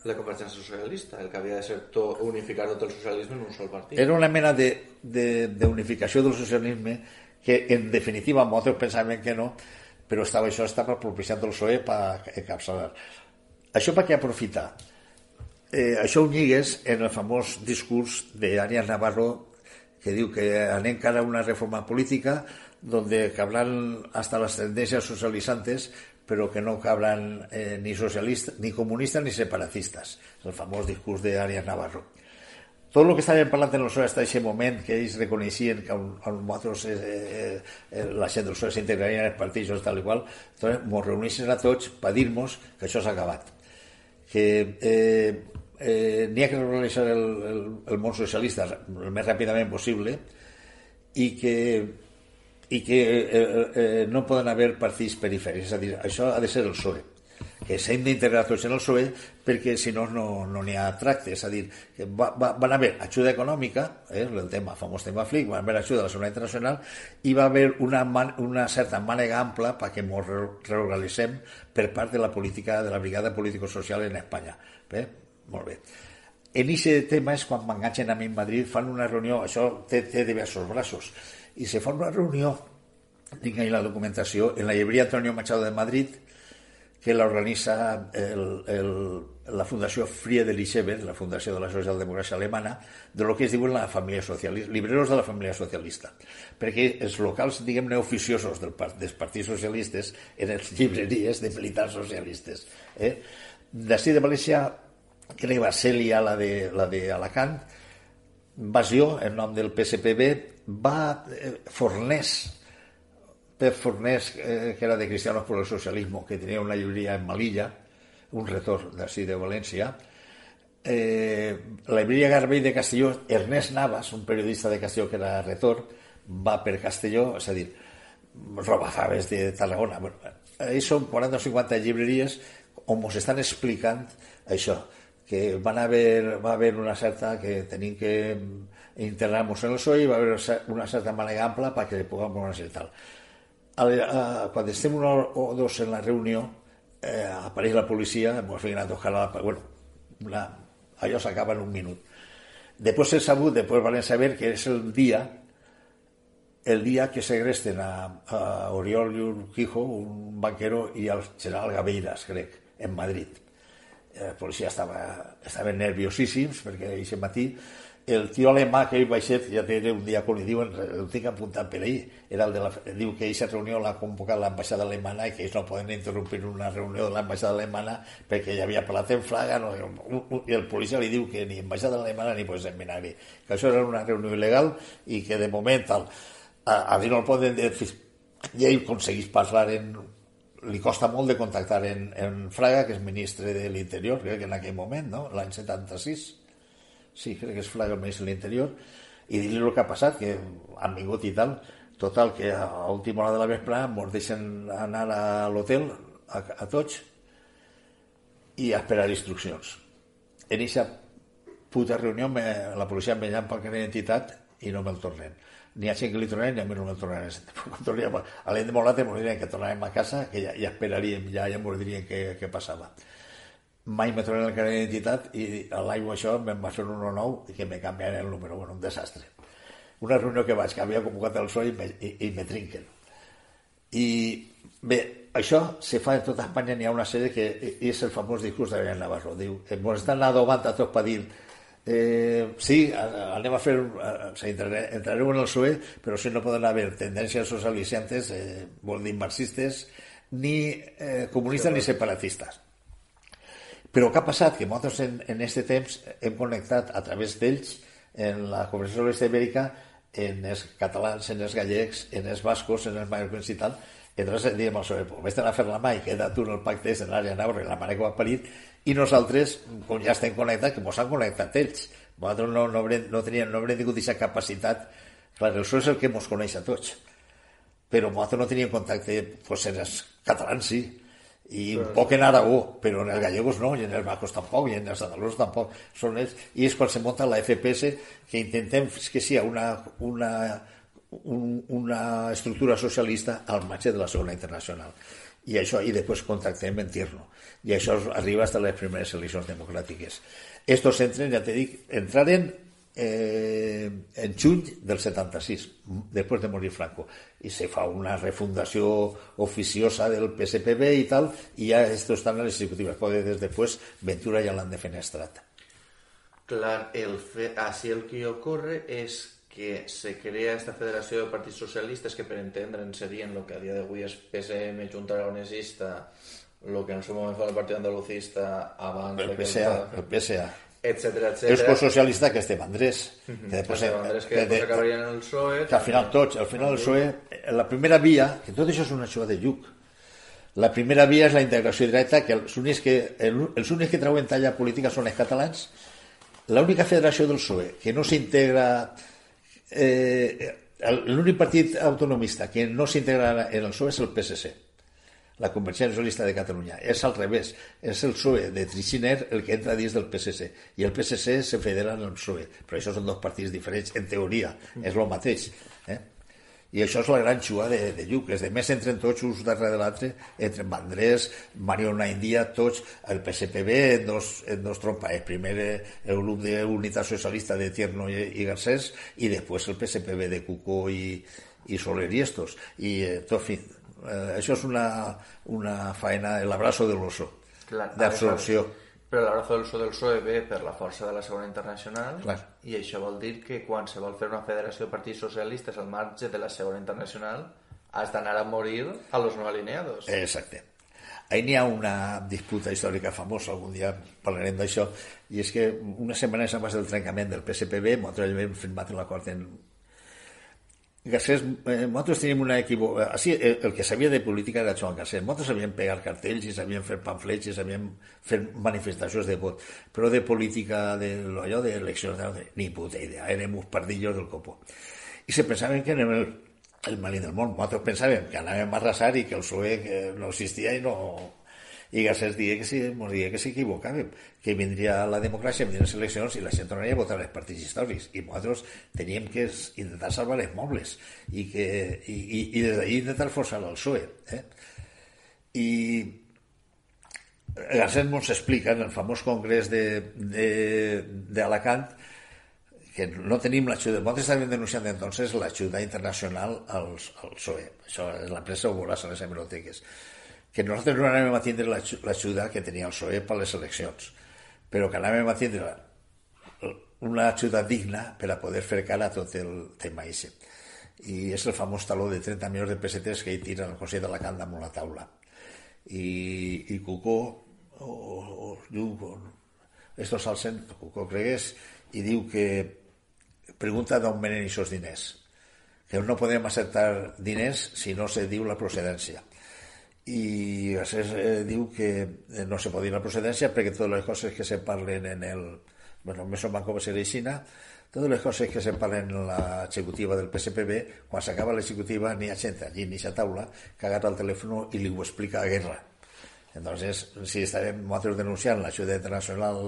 Convergència Socialista, el que havia de ser unificar tot el socialisme en un sol partit. Era una mena d'unificació del socialisme que, en definitiva, molts pensaven que no, però això estava propiciant el PSOE per encapçalar. Això per què aprofitar? Això ho lligues en el famós discurs d'Arias Navarro, que diu que anem cara a una reforma política donde cabrán hasta las tendencias socializantes, però que no cabran ni socialistes, ni comunistes, ni separatistes. El famós discurs d'Arias Navarro. Tot el que estàvem parlant en el PSOE hasta aquest moment, que ells reconeixien que la gent del PSOE s'integraria en els partits i tal i qual, ens reuneixen a tots per dir-nos que això s'ha acabat. Que n'hi ha que reorganitzar el món socialista el més ràpidament possible i que no poden haver partits perifèrics. És a dir, això ha de ser el PSOE, que s'han d'integrar tots en el PSOE, perquè si no n'hi ha tracte. És a dir, que van haver ajuda econòmica, el famós tema FLIC, van haver ajuda de la Seguretat Internacional, i va haver una certa mànega ampla perquè ens reorganitzem per part de la política, de la brigada político-social en Espanya. Bé? Molt bé. En aquest tema és quan m'enganxen a mi en Madrid, fan una reunió, això té diversos braços, i se fa una reunió, tinc ahí la documentació, en la llibreria Antonio Machado de Madrid, que l'organitza la Fundació Friedrich-Ebert, la Fundació de la Socialdemocràcia Alemana, de lo que es diuen la família socialista, libreros de la família socialista, perquè els locals, diguem-ne, oficiosos dels partits socialistes eren les llibreries de militars socialistes. D'ací de València, que va ser la d'Alacant, Bassió, en nom del PSPB, va Pep Fornés, que era de Cristianos por el Socialismo, que tenia una llibreria en Malilla, un retor d'ací de València, la llibreria Garbell de Castelló, Ernest Navas, un periodista de Castelló que era retor, va per Castelló, és a dir, robafaves de Tarragona. Ells són 40 o 50 llibreries on ens estan explicant això, que va haver una certa que tenim que integrar-nos en el PSOE i va haver una certa mànega ampla perquè puguem conèixer tal. Quan estem una o dos en la reunió, apareix la policia, ens feien a tocar allò s'acaba en un minut. Després van saber que és el dia que segresten a Oriol i Urquijo, un banquero, i al general Gaveiras, crec, en Madrid. La policia estaven nerviosíssims perquè aquest matí el tio alemà que ell va ser, ja té un diàcon i diuen, ho tinc apuntat per ahir, diu que aquesta reunió l'ha convocat l'ambaixada alemana i que ells no poden interrompir una reunió de l'ambaixada alemana perquè ja havia parlat en flaga, i el policia li diu que ni ambaixada alemana ni pot seminar-hi, que això era una reunió il·legal i que de moment a dir no el poden dir, i ell aconsegueix parlar li costa molt de contactar en Fraga, que és ministre de l'Interior, crec que en aquell moment, no? L'any 76, sí, crec que és Fraga el ministre de l'Interior, i dir-li el que ha passat, que han vingut i tal. Total, que a última hora de la vesprada ens deixen anar a l'hotel, a tots, i a esperar instruccions. En aquesta puta reunió la policia em veiem pel carnet d'identitat i no me'l tornen. Ni a gent que li tornen ni a mi no me'l tornen. A l'endemà ens dirien que tornàvem a casa, que ja esperaríem, ja ens dirien què passava. Mai me tornen el carnet d'identitat i a l'aigua això me'n va fer un 1-9 i que me canviaren el número. Bueno, un desastre. Una reunió que vaig, que havia convocat el PSOE i me trinquen. I bé, això se fa en tota Espanya, n'hi ha una sèrie que és el famós discurs de Belén Navarro. Diu, ens estan adobant a tots per dir sí, anem a fer entrarem en el PSOE, però si no poden haver tendències socialitzantes, vol dir marxistes, ni comunistes ni separatistes. Però què ha passat? Que nosaltres en aquest temps hem connectat a través d'ells en la Conferència Socialista Ibèrica en els catalans, en els gallecs, en els bascos, en els mallorquins i tal. Entonces diem al PSOE, vés a fer la mà i queda tu en el pacte de l'àrea Navarra i la mare que va parir, i nosaltres, com ja estem connectats, que ens han connectat ells. Nosaltres no haurem tingut aquesta capacitat. Clar, el PSOE és el que ens coneix a tots. Però nosaltres no teníem contacte, doncs en els catalans sí, i un poc en Aragó, però en els gallegos no, i en els vascos tampoc, i en els andalusos tampoc. Són ells, i és quan se munta la FPS, que intentem que sigui una estructura socialista al marge de la Segona Internacional. I això, i després contactem en Tierno. I això arriba fins a les primeres eleccions democràtiques. Estos entren, ja t'he dit, entraren en juny del 76, després de morir Franco, i se fa una refundació oficiosa del PSPB i tal, i ja estos estan en les executives. Des després Ventura ja l'han defenestrat. Clar, así el que ocurre es que se crea esta federació de partits socialistes que per entendre'n serien lo que a dia d'avui és PSM, Junta Aragonesista, lo que en el seu moment fa el Partit Andalucista abans el PSA etcètera. Els socialistes que estem Andrés, que acabarien en el PSOE, que al final el PSOE, la primera via, que tot això és una xua de lluc, la primera via és la integració directa, que els únics que treuen talla política són els catalans. L'única federació del PSOE que no s'integra, l'únic partit autonomista que no s'integra en el PSOE és el PSC, la Convergència Socialista de Catalunya. És al revés, és el PSOE de Trinxiner el que entra dins del PSC, i el PSC se federa en el PSOE, però això són dos partits diferents, en teoria, és el mateix. I això és la gran xua de Lluc. Els demés entren tots uns darrere de l'altre, entren Vandrés, Mariona India, tots, el PSPB en dos trompes, primer el grup d'Unitat Socialista de Tierno i Garcés, i després el PSPB de Cucó i Soler i estos. I tot fi, això és una faena, l'abrazo de l'oso, d'absorció. Però l'abrazo del PSOE ve per la força de la Segona Internacional. Clar. I això vol dir que quan se vol fer una federació de partits socialistes al marge de la Segona Internacional has d'anar a morir a los no alineados. Exacte. Ahí n'hi ha una disputa històrica famosa, algun dia parlarem d'això, i és que una setmana abans del trencament del PSPB nosaltres hem firmat l'acord en Garcés. Nosaltres teníem una equivocació. El que sabia de política era Joan Garcés. Nosaltres sabíem pegar cartells i sabíem fer pamflets i sabíem fer manifestacions de vot, però de política, d'allò d'eleccions, ni puta idea. Érem uns pardillos del copo. I se pensaven que érem el malí del món. Nosaltres pensàvem que anàvem a arrasar i que el PSOE no existia i no... I Garcés deia que s'equivocàvem, que vindria la democràcia, vindrien les eleccions i la gent tornaria a votar els partits històrics, i nosaltres teníem que intentar salvar els mobles i des d'ahir intentar forçar el PSOE. I Garcés ens explica en el famós congrés d'Alacant que no tenim l'ajuda. Nosaltres estàvem denunciant entonces l'ajuda internacional al PSOE. Això és la premsa ho veuràs a les hemeroteques. Que nosaltres no anàvem a tindre l'ajuda que tenia el PSOE per les eleccions, però que anàvem a tindre una ajuda digna per a poder fer cara a tot el tema ese. I és el famós taló de 30 milions de pessetes que hi tira el Consell d'Alacant damunt la taula. I Cucó estos s'alcen, Cucó cregués, i diu que pregunta d'on venen aquests diners, que no podem acceptar diners si no se diu la procedència. I Garcés diu que no se pot dir la procedència perquè totes les coses que se parlen en el... Bueno, més o menys com a Xina, totes les coses que se parlen en l'executiva del PSPB, quan s'acaba l'executiva n'hi ha gent allí en aquesta taula que agarra el telèfon i li ho explica a Guerra. Entonces, si estàvem nosaltres denunciant l'ajuda internacional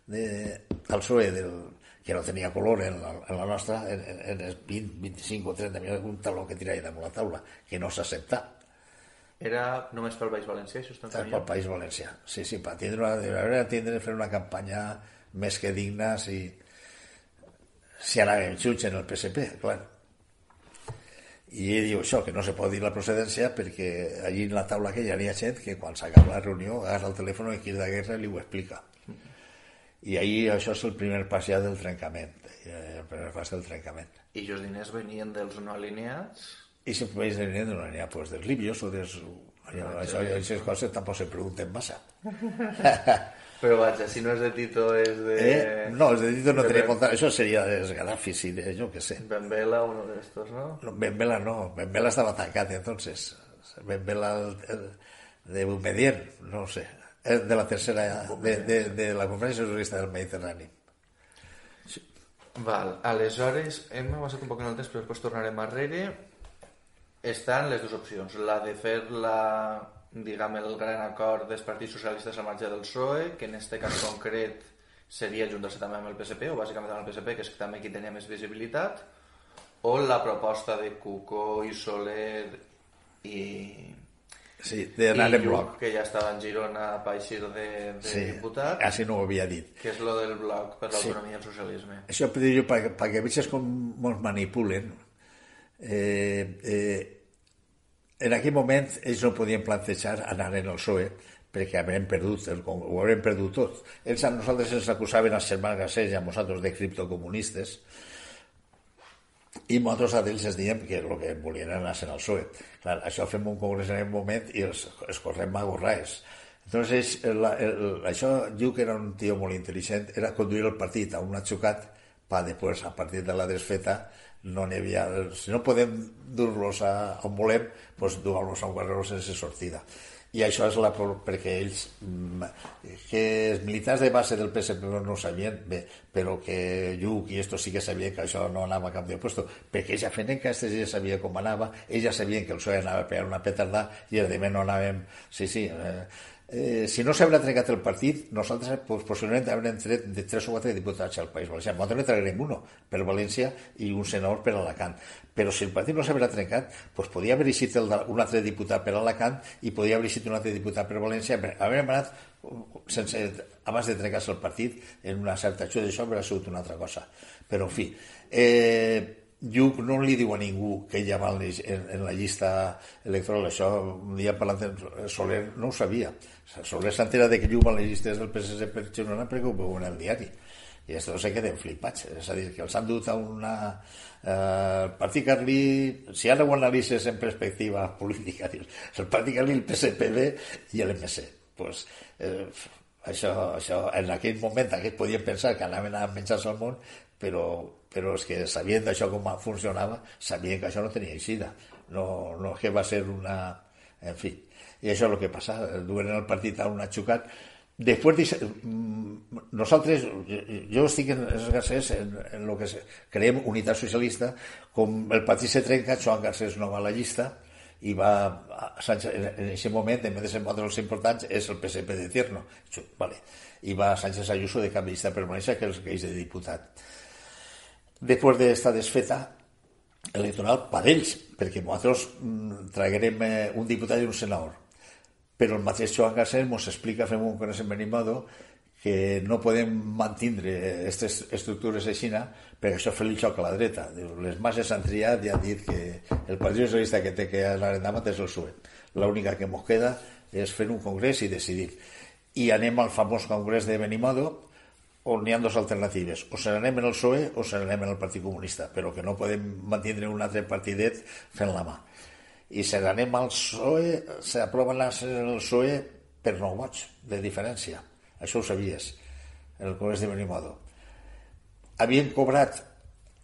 al PSOE que no tenia color en la nostra, en els 20, 25 o 30 milions, un taló que tirava damunt la taula, que no s'accepta. Era només pel País Valencià, això està pel País Valencià, sí, per tindre fer una campanya més que digna si anàvem junts en el PSP, clar. I ell diu això, que no se pot dir la procedència perquè allí en la taula aquella hi ha gent que quan s'acaba la reunió agarra el telèfon i Quirda Guerra li ho explica. I ahir això és el primer pas ja del trencament, I els diners venien dels no alineats? I si venien dels no alineats, pues dels libios o dels... Aquestes coses tampoc se pregunten massa. Però vaja, si no és de Tito és de... No, és de Tito no tenia comptat, això seria dels Gaddafis i de jo què sé. Ben Vela, uno de estos, ¿no? Ben Vela no, Ben Vela estava tancat entonces. Ben Vela de Boumediene, no sé, de la tercera, de la Conferència Socialista del Mediterrani. Val, aleshores hem avançat un poc en el temps, però després tornarem arrere. Estan les dues opcions, la de fer diguem, el gran acord dels partits socialistes al marge del PSOE, que en aquest cas concret seria juntar-se també amb el PSP, o bàsicament amb el PSP, que és també qui tenia més visibilitat, o la proposta de Cuco i Soler i... Sí, d'anar en bloc. Que ja estava en Girona per eixir de diputat. Així no ho havia dit. Que és lo del bloc per l'autonomia i el socialisme. Això per dir-ho, perquè vegis com ens manipulen. En aquell moment ells no podien plantejar anar en el PSOE perquè haurem perdut, ho haurem perdut tot. Ells a nosaltres ens acusaven als germans Garcés i a nosaltres de criptocomunistes i nosaltres a ells els diem que el que volien anar en el PSOE. Clar, això fem un congrés en aquell moment i els correm a gorraes. Entonces, això diu que era un tio molt intel·ligent, era conduir el partit a un atxucat per després, a partir de la desfeta, no n'hi havia... Si no podem dur-los on volem, doncs dur-los a un guerrero sense sortida. I això és perquè ells, que els militars de base del PSP no ho sabien bé, però que Lluc i estos sí que sabien que això no anava a cap de puesto, perquè ells ja feien que aquests ja sabien com anava, ells ja sabien que el PSOE anava a pegar una petarda i els demés no anàvem... Si no s'haurà trencat el partit, nosaltres possiblement haurem tret de 3 o 4 diputats al País Valencià. Nosaltres ne traurem uno per València i un senador per Alacant. Però si el partit no s'haurà trencat, doncs podia haver eixit un altre diputat per Alacant i podia haver eixit un altre diputat per València. Haurem anat abans de trencar-se el partit en una certa ajuda, això hauria sigut una altra cosa. Però, en fi, Lluc no li diu a ningú que ella va en la llista electoral. Això, un dia parlant de Soler, no ho sabia. Soler s'entera de que Lluc va en les llistes del PSC per Girona perquè ho veu en el diari. I això se queden flipats. És a dir, que els han dut a una... el partit carlí, si ara ho analitzes en perspectiva política, dius, el partit carlí, el PSPB i l'MC. Pues, això, en aquell moment, aquests podien pensar que anaven a menjar-se al món, però és que sabien d'això com funcionava, sabien que això no tenia eixida, no que va ser una... En fi, i això és el que passa, duen el partit a un atxucat. Després, nosaltres, jo estic en els Garcés en el que creiem unitat socialista, com el partit se trenca, Joan Garcés no va a la llista, i va Sánchez, en aquest moment, en vez de ser un dels importants, és el PSP de Tierno, vale. I va Sánchez Ayuso de cap de llista permanència, que és de diputat. Després d'esta desfeta electoral per ells, perquè nosaltres traguerem un diputat i un senador, però el mateix Joan Garcés ens explica, fem un congrés en Benimodo, que no podem mantindre aquestes estructures així perquè això fa el xoc a la dreta. Les masses han triat i han dit que el Partit Socialista que té que anar endavant és el PSOE. L'única que ens queda és fer un congrés i decidir. I anem al famós congrés de Benimodo, on hi ha dues alternatives. O se n'anem en el PSOE o se n'anem en el Partit Comunista, però que no podem mantindre un altre partidet fent la mà. I se n'anem al PSOE, s'aproven el PSOE per 9 vots de diferència. Això ho sabies, en el Congrés de Benimodo. Havien cobrat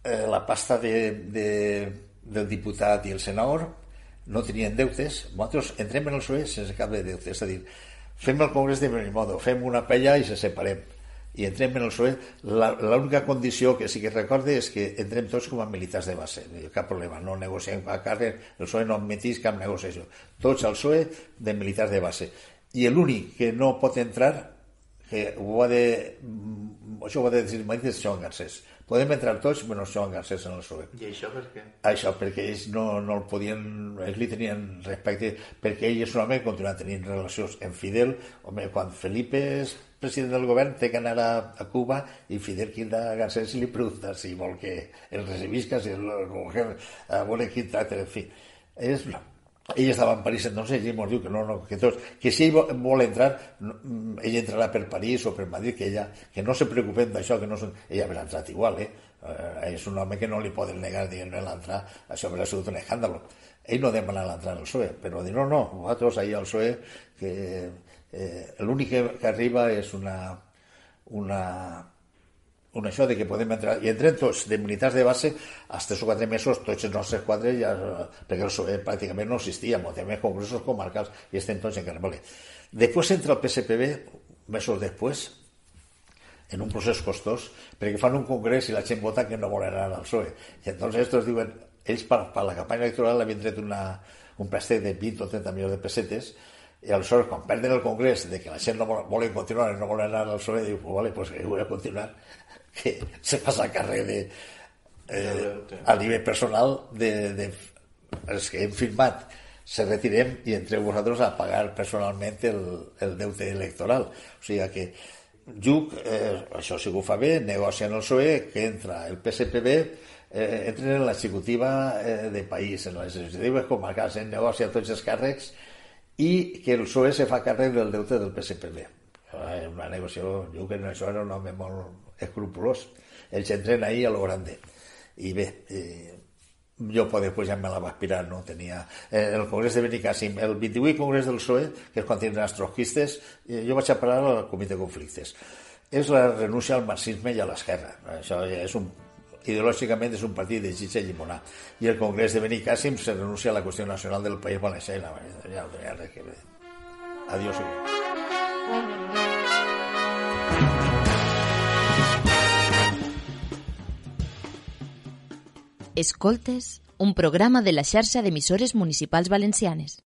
la pasta del diputat i el senador, no tenien deutes, nosaltres entrem en el PSOE sense cap de deutes, és a dir, fem el Congrés de Benimodo, fem una pella i se separem. i entrem en el PSOE. L'única condició que sí que recorde és que entrem tots com a militars de base, cap problema, no negociem a càrrec, el PSOE no admetís cap negociació, tots al PSOE de militars de base. I l'únic que no pot entrar, que això ho ha de dir Joan Garcés, podem entrar tots menys Joan Garcés en el PSOE. I això per què? Això perquè ells no el podien, ells li tenien respecte, perquè ell és un home que continua tenint relacions amb Fidel. Home, quan Felipe és president del govern té que anar a Cuba i Fidel queda a Garcés i li pregunta si vol que el recibisca, si el vol quin tracte, en fi. Ell estava en París entonces i ell ens diu que no, que tots, que si ell vol entrar, ell entrarà per París o per Madrid, que no se preocupen d'això, que no són... Ell haurà entrat igual, és un home que no li poden negar l'entrar, això haurà sigut un escàndalo. Ell no demana l'entrar al PSOE, però dir no, vosaltres ahir al PSOE, que l'únic que arriba és un això de que podem entrar, i entrem tots de militars de base als 3 o 4 mesos, tots els nostres quadres ja, perquè el PSOE pràcticament no existia, tenim congressos comarcals i estem tots en carrer. Després entra el PSPB mesos després en un procés costós perquè fan un congrés i la gent vota que no volen anar al PSOE, i entonces estos diuen, ells per la campanya electoral havien tret un préstec de 20 o 30 milions de pessetes, i aleshores quan perden el congrés de que la gent no volen continuar i no volen anar al PSOE, diu, vale, pues que voy a continuar, que se passa a càrrec a nivell personal els que hem firmat se retirem i entreu vosaltres a pagar personalment el deute electoral. O sigui que Lluc, això sí que ho fa bé, negocia en el PSOE, que entra el PSPB, entren en l'executiva de país, en les executives comarcals, negocia tots els càrrecs i que el PSOE se fa càrrec del deute del PSPB. Una negociació, Lluc en això era un home molt escrupulós. Ells entren ahí a lo grande. I bé, jo després ja me la va aspirar, no tenia... el congrés de Benicàssim, el 28 congrés del PSOE, que és quan tindran els trotskistes, jo vaig a parar al comitè de conflictes. És la renúncia al marxisme i a l'esquerra. Això ja és ideològicament és un partit de xitxa i llimonà. I el congrés de Benicàssim se renuncia a la qüestió nacional del País Valencià. Ja no tenia res que veure. Adiós. Escoltes, un programa de la xarxa d'emissores municipals valencianes.